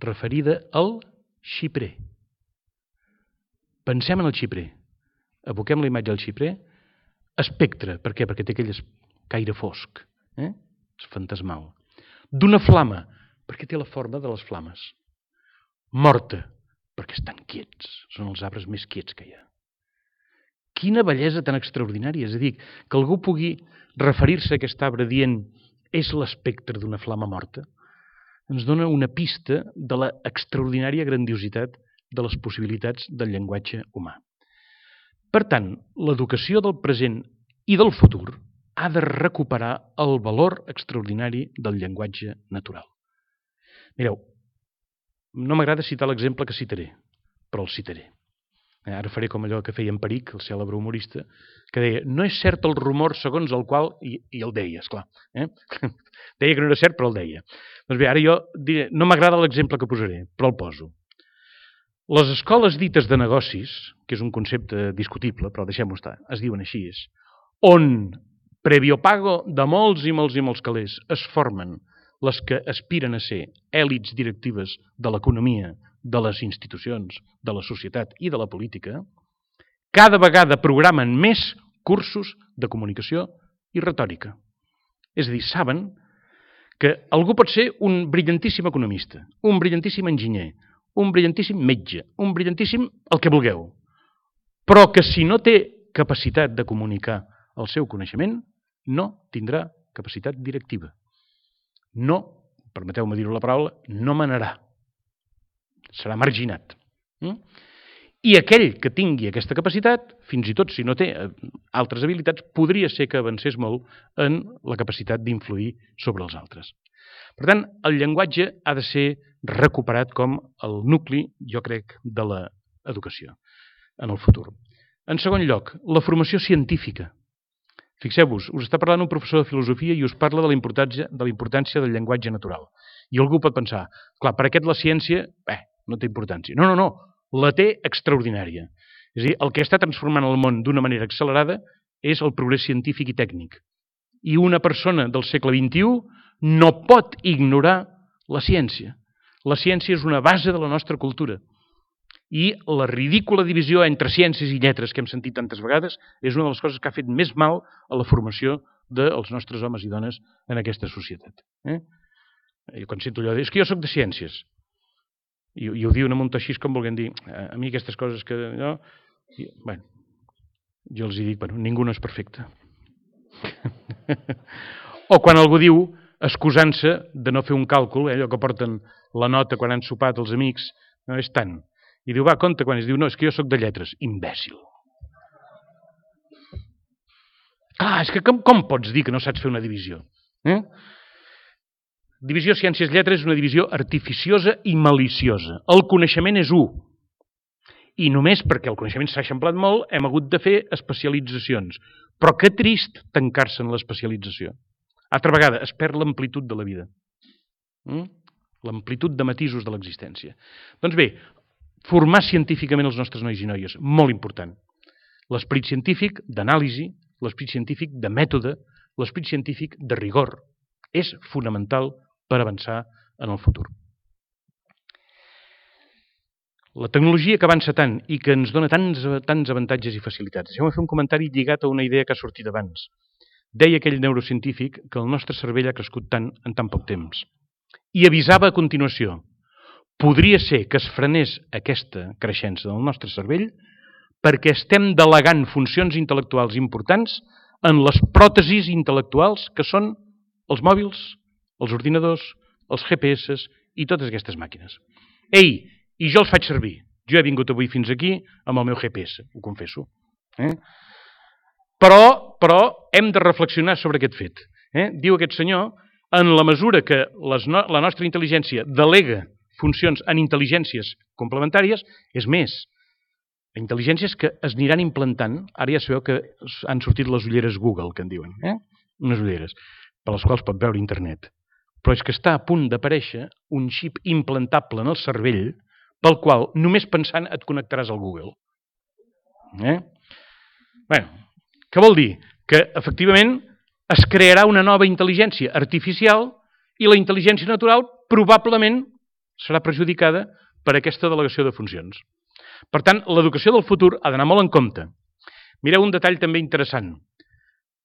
referida al xiprer. Pensem en el xiprer. Aboquem la imatge al xiprer. Espectre, per què? Perquè té aquell caire fosc, eh? És fantasmal. D'una flama, perquè té la forma de les flames. Morta, perquè estan quiets, són els arbres més quiets que hi ha. Quina bellesa tan extraordinària, és a dir, que algú pugui referir-se a aquest arbre dient és l'espectre d'una flama morta, ens dona una pista de l'extraordinària grandiositat de les possibilitats del llenguatge humà. Per tant, l'educació del present i del futur ha de recuperar el valor extraordinari del llenguatge natural. Mireu, no m'agrada citar l'exemple que citaré, però el citaré. Ara faré com allò que feia en Peric, el cèlebre humorista, que deia, no és cert el rumor segons el qual... I, i el deia, esclar. Eh? Deia que no era cert, però el deia. Doncs bé, ara jo diré, no m'agrada l'exemple que posaré, però el poso. Les escoles dites de negocis, que és un concepte discutible, però deixem-ho estar, es diuen així, on, previo pago de molts i molts i molts calés, es formen les que aspiren a ser èlits directives de l'economia, de les institucions, de la societat i de la política, cada vegada programen més cursos de comunicació i retòrica. És a dir, saben que algú pot ser un brillantíssim economista, un brillantíssim enginyer, un brillantíssim metge, un brillantíssim el que vulgueu, però que si no té capacitat de comunicar el seu coneixement, no tindrà capacitat directiva. No, permeteu-me dir-ho la paraula, no manarà. Serà marginat. I aquell que tingui aquesta capacitat, fins i tot si no té altres habilitats, podria ser que avancés molt en la capacitat d'influir sobre els altres. Per tant, el llenguatge ha de ser recuperat com el nucli, jo crec, de l'educació en el futur. En segon lloc, la formació científica. Fixeu-vos, us està parlant un professor de filosofia i us parla de la importància, de la importància del llenguatge natural. I algú pot pensar, clar, per aquest la ciència, bé, no té importància. No, no, no, la té extraordinària. És a dir, el que està transformant el món d'una manera accelerada és el progrés científic i tècnic. I una persona del segle vint-i-u no pot ignorar la ciència. La ciència és una base de la nostra cultura. I la ridícula divisió entre ciències i lletres que hem sentit tantes vegades és una de les coses que ha fet més mal a la formació dels nostres homes i dones en aquesta societat. Eh? Jo quan sento allò de, és que jo soc de ciències. I, i ho diuen amb un to així com volguem dir, a mi aquestes coses que... No, i, bueno, jo els dic, bueno, ningú no és perfecte. O quan algú diu, excusant-se de no fer un càlcul, eh, allò que porten la nota quan han sopat els amics, no és tant. I diu, va, compte quan es diu, no, és que jo soc de lletres. Imbècil. Clar, és que com, com pots dir que no saps fer una divisió? Eh? Divisió ciències-lletres és una divisió artificiosa i maliciosa. El coneixement és u. I només perquè el coneixement s'ha eixamplat molt hem hagut de fer especialitzacions. Però que trist tancar-se en l'especialització. Altra vegada, es perd l'amplitud de la vida. Mm? L'amplitud de matisos de l'existència. Doncs bé, formar científicament els nostres nois i noies, molt important. L'esperit científic d'anàlisi, l'esperit científic de mètode, l'esperit científic de rigor. És fonamental per avançar en el futur. La tecnologia que avança tant i que ens dona tants, tants avantatges i facilitats. Deixeu-me fer un comentari lligat a una idea que ha sortit abans. Deia aquell neurocientífic que el nostre cervell ha crescut tant en tan poc temps. I avisava a continuació, podria ser que es frenés aquesta creixença del nostre cervell perquè estem delegant funcions intel·lectuals importants en les pròtesis intel·lectuals que són els mòbils, els ordinadors, els G P S i totes aquestes màquines. Ei, i jo els faig servir. Jo he vingut avui fins aquí amb el meu G P S, ho confesso. Eh? Però, però hem de reflexionar sobre aquest fet. Eh? Diu aquest senyor, en la mesura que les no, la nostra intel·ligència delega funcions en intel·ligències complementàries, és més, intel·ligències que es aniran implantant, ara ja sabeu que han sortit les ulleres Google, que en diuen, eh? unes ulleres, per les quals pot veure internet. Però és que està a punt d'aparèixer un xip implantable en el cervell pel qual només pensant et connectaràs al Google. Eh? Bé, què vol dir? Que efectivament es crearà una nova intel·ligència artificial i la intel·ligència natural probablement serà perjudicada per aquesta delegació de funcions. Per tant, l'educació del futur ha d'anar molt en compte. Mireu un detall també interessant.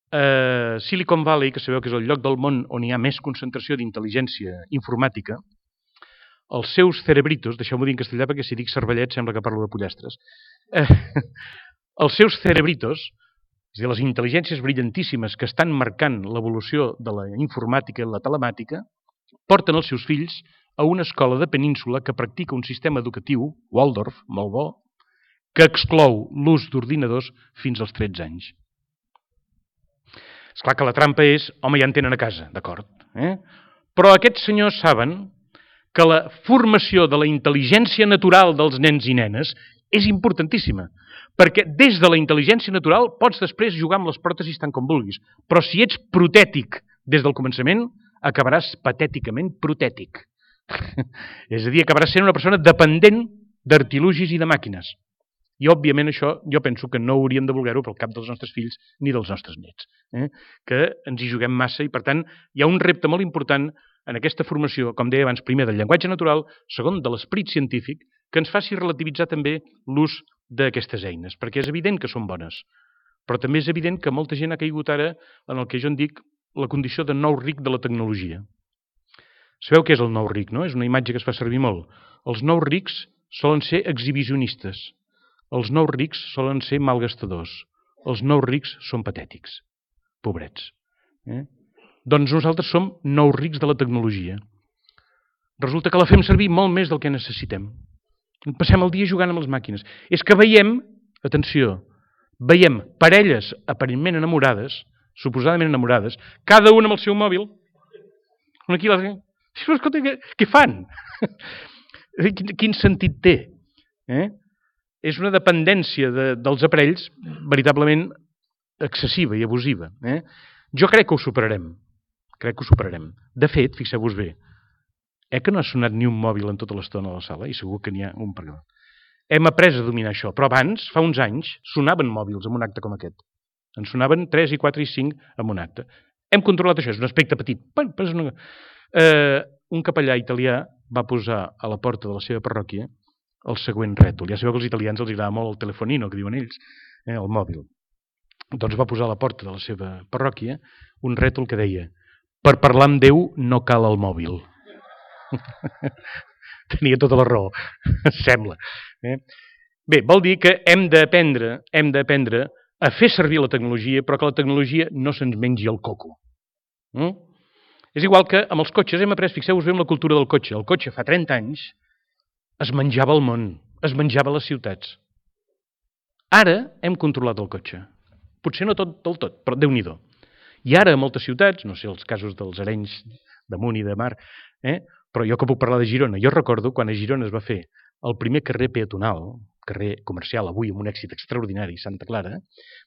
Uh, Silicon Valley, que sabeu que és el lloc del món on hi ha més concentració d'intel·ligència informàtica, els seus cerebritos, deixeu-m'ho dir en castellà perquè si dic cervellet sembla que parlo de pollastres, uh, els seus cerebritos, és a dir, les intel·ligències brillantíssimes que estan marcant l'evolució de la informàtica i la telemàtica, porten els seus fills a una escola de península que practica un sistema educatiu, Waldorf, molt bo, que exclou l'ús d'ordinadors fins als tretze anys. És clar que la trampa és, home, ja en tenen a casa, d'acord. Eh? Però aquests senyors saben que la formació de la intel·ligència natural dels nens i nenes és importantíssima, perquè des de la intel·ligència natural pots després jugar amb les pròtesis tant com vulguis, però si ets protètic des del començament, acabaràs patèticament protètic. És a dir, acabaràs sent una persona dependent d'artilugis i de màquines. I, òbviament, això jo penso que no hauríem de voler-ho pel cap dels nostres fills ni dels nostres nets, eh? que ens hi juguem massa i, per tant, hi ha un repte molt important en aquesta formació, com deia abans, primer del llenguatge natural, segon de l'esperit científic, que ens faci relativitzar també l'ús d'aquestes eines, perquè és evident que són bones, però també és evident que molta gent ha caigut ara en el que jo en dic la condició de nou ric de la tecnologia. Sabeu què és el nou ric, no? És una imatge que es fa servir molt. Els nous rics solen ser exhibicionistes. Els nous rics solen ser malgastadors. Els nous rics són patètics. Pobrets. Eh? Doncs nosaltres som nous rics de la tecnologia. Resulta que la fem servir molt més del que necessitem. Passem el dia jugant amb les màquines. És que veiem, atenció, veiem parelles aparentment enamorades, suposadament enamorades, cada una amb el seu mòbil. Una aquí, l'altra. Escolta, què, què fan? Quin, quin sentit té? Eh? És una dependència de, dels aparells veritablement excessiva i abusiva. Eh? Jo crec que ho superarem. Crec que ho superarem. De fet, fixeu-vos bé, eh que no ha sonat ni un mòbil en tota l'estona a la sala, i segur que n'hi ha un per allà. Hem après a dominar això, però abans, fa uns anys, sonaven mòbils en un acte com aquest. En sonaven tres i quatre i cinc en un acte. Hem controlat això, és un aspecte petit. Però és una... eh, un capellà italià va posar a la porta de la seva parròquia el següent rètol. Ja sabeu que als italians els agrada molt el telefonino, que diuen ells, eh, el mòbil. Doncs va posar a la porta de la seva parròquia un rètol que deia: per parlar amb Déu no cal el mòbil. Tenia tota la raó, sembla. Eh? Bé, vol dir que hem d'aprendre, hem d'aprendre a fer servir la tecnologia, però que la tecnologia no se'ns mengi el coco. Mm? És igual que amb els cotxes hem après, fixeu-vos bé, amb la cultura del cotxe. El cotxe fa trenta anys es menjava el món, es menjava les ciutats. Ara hem controlat el cotxe. Potser no tot del tot, però Déu-n'hi-do. I ara a moltes ciutats, no sé els casos dels Arenys damunt i de mar, eh? però jo que puc parlar de Girona, jo recordo quan a Girona es va fer el primer carrer peatonal, carrer comercial, avui amb un èxit extraordinari, Santa Clara,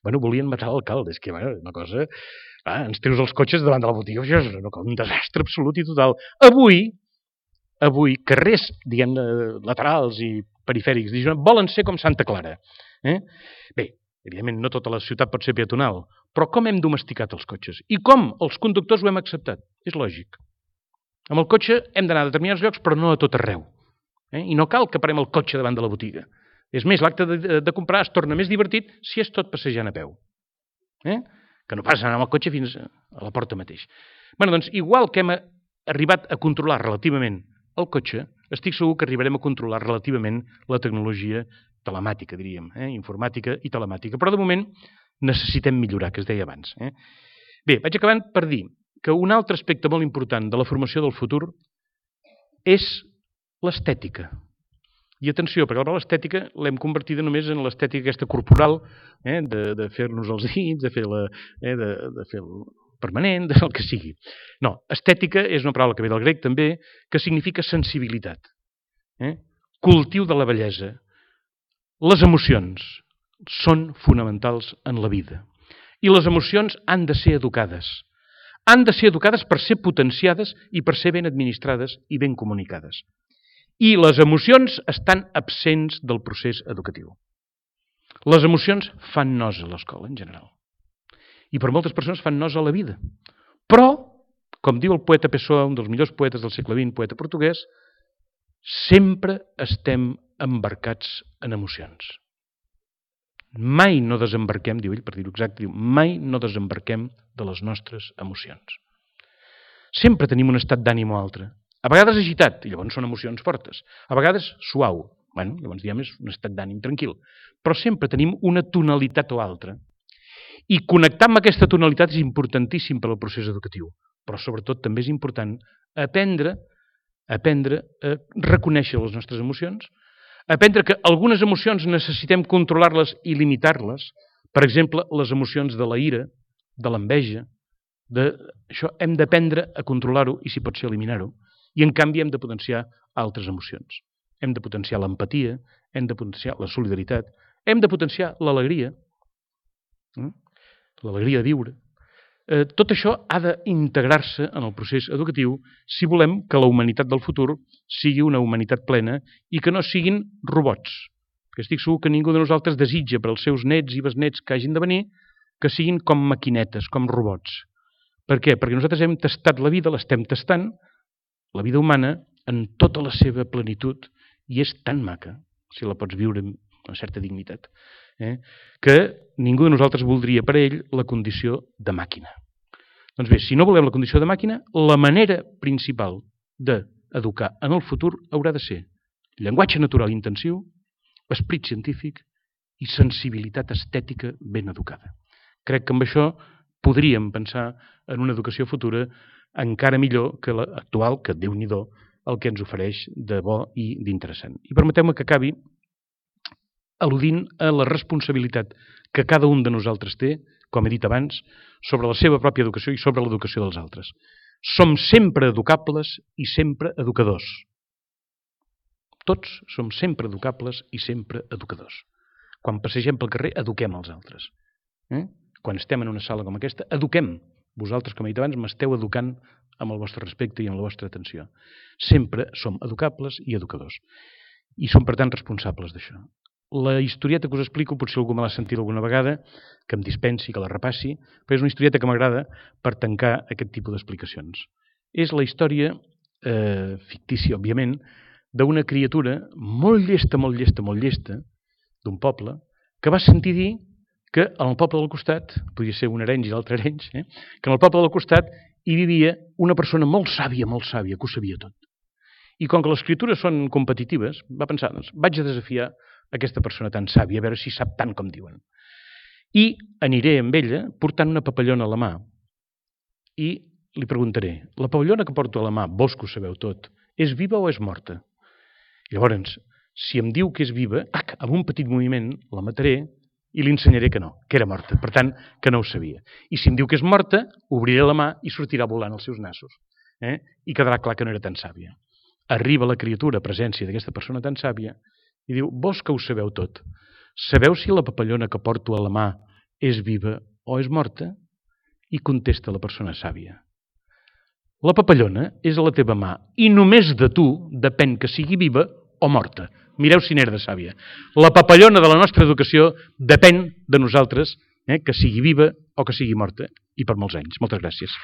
bueno, volien matar l'alcalde, és que bueno, una cosa... Ah, ens treus els cotxes davant de la botiga, això és un desastre absolut i total. Avui, avui, carrers, diguem laterals i perifèrics, volen ser com Santa Clara. Eh? Bé, evidentment no tota la ciutat pot ser peatonal, però com hem domesticat els cotxes? I com els conductors ho hem acceptat? És lògic. Amb el cotxe hem d'anar a determinats llocs, però no a tot arreu. Eh? I no cal que parem el cotxe davant de la botiga. És més, l'acte de, de, de comprar es torna més divertit si és tot passejant a peu. Eh? Que no pas anar amb el cotxe fins a la porta mateix. Bé, doncs, igual que hem arribat a controlar relativament el cotxe, estic segur que arribarem a controlar relativament la tecnologia telemàtica, diríem, eh? informàtica i telemàtica. Però de moment necessitem millorar, que es deia abans. Eh? Bé, vaig acabant per dir que un altre aspecte molt important de la formació del futur és l'estètica. I atenció, perquè la paraula estètica l'hem convertida només en l'estètica aquesta corporal, eh, de, de fer-nos els dits, de fer la, eh, de, de fer el permanent, del que sigui. No, estètica és una paraula que ve del grec també, que significa sensibilitat, eh? Cultiu de la bellesa. Les emocions són fonamentals en la vida. I les emocions han de ser educades. Han de ser educades per ser potenciades i per ser ben administrades i ben comunicades. I les emocions estan absents del procés educatiu. Les emocions fan nosa a l'escola, en general. I per moltes persones fan nosa a la vida. Però, com diu el poeta Pessoa, un dels millors poetes del segle vint, poeta portuguès, sempre estem embarcats en emocions. Mai no desembarquem, diu ell, per dir-ho exacte, diu, mai no desembarquem de les nostres emocions. Sempre tenim un estat d'ànim o altre. A vegades agitat, i llavors són emocions fortes. A vegades suau, bueno, llavors diem és un estat d'ànim tranquil. Però sempre tenim una tonalitat o altra. I connectar amb aquesta tonalitat és importantíssim per al procés educatiu. Però sobretot també és important aprendre, aprendre a reconèixer les nostres emocions, aprendre que algunes emocions necessitem controlar-les i limitar-les. Per exemple, les emocions de la ira, de l'enveja, de... això hem d'aprendre a controlar-ho i si pot ser eliminar-ho. I en canvi hem de potenciar altres emocions. Hem de potenciar l'empatia, hem de potenciar la solidaritat, hem de potenciar l'alegria, eh? l'alegria de viure. Eh, tot això ha d'integrar-se en el procés educatiu si volem que la humanitat del futur sigui una humanitat plena i que no siguin robots. Perquè estic segur que ningú de nosaltres desitja per als seus nets i besnets que hagin de venir que siguin com maquinetes, com robots. Per què? Perquè nosaltres hem tastat la vida, l'estem tastant, la vida humana, en tota la seva plenitud, i és tan maca, si la pots viure amb una certa dignitat, eh? que ningú de nosaltres voldria per a ell la condició de màquina. Doncs bé, si no volem la condició de màquina, la manera principal d'educar en el futur haurà de ser llenguatge natural intensiu, esperit científic i sensibilitat estètica ben educada. Crec que amb això podríem pensar en una educació futura encara millor que l'actual, que Déu-n'hi-do el que ens ofereix de bo i d'interessant. I permeteu-me que acabi al·ludint a la responsabilitat que cada un de nosaltres té, com he dit abans, sobre la seva pròpia educació i sobre l'educació dels altres. Som sempre educables i sempre educadors. Tots som sempre educables i sempre educadors. Quan passegem pel carrer, eduquem els altres. Eh? Quan estem en una sala com aquesta, eduquem. Vosaltres, com he dit abans, m'esteu educant amb el vostre respecte i amb la vostra atenció. Sempre som educables i educadors. I som, per tant, responsables d'això. La historieta que us explico, potser algú me l'ha sentit alguna vegada, que em dispensi, que la repassi, però és una historieta que m'agrada per tancar aquest tipus d'explicacions. És la història eh, fictícia, òbviament, d'una criatura molt llesta, molt llesta, molt llesta, d'un poble, que va sentir dir que en el poble del costat, podia ser un arenys i l'altre arenys, eh, que en el poble del costat hi vivia una persona molt sàvia, molt sàvia, que ho sabia tot. I com que les criatures són competitives, va pensar, doncs, vaig a desafiar aquesta persona tan sàvia, a veure si sap tant com diuen. I aniré amb ella portant una papallona a la mà i li preguntaré, la papallona que porto a la mà, vos que ho sabeu tot, és viva o és morta? I llavors, si em diu que és viva, tac, amb un petit moviment la mataré i li ensenyaré que no, que era morta, per tant, que no ho sabia. I si em diu que és morta, obriré la mà i sortirà volant els seus nassos, eh? I quedarà clar que no era tan sàvia. Arriba la criatura a presència d'aquesta persona tan sàvia i diu, vos que ho sabeu tot, sabeu si la papallona que porto a la mà és viva o és morta? I contesta la persona sàvia. La papallona és a la teva mà i només de tu depèn que sigui viva o morta. Mireu si n'era de sàvia. La papallona de la nostra educació depèn de nosaltres, eh, que sigui viva o que sigui morta, i per molts anys. Moltes gràcies.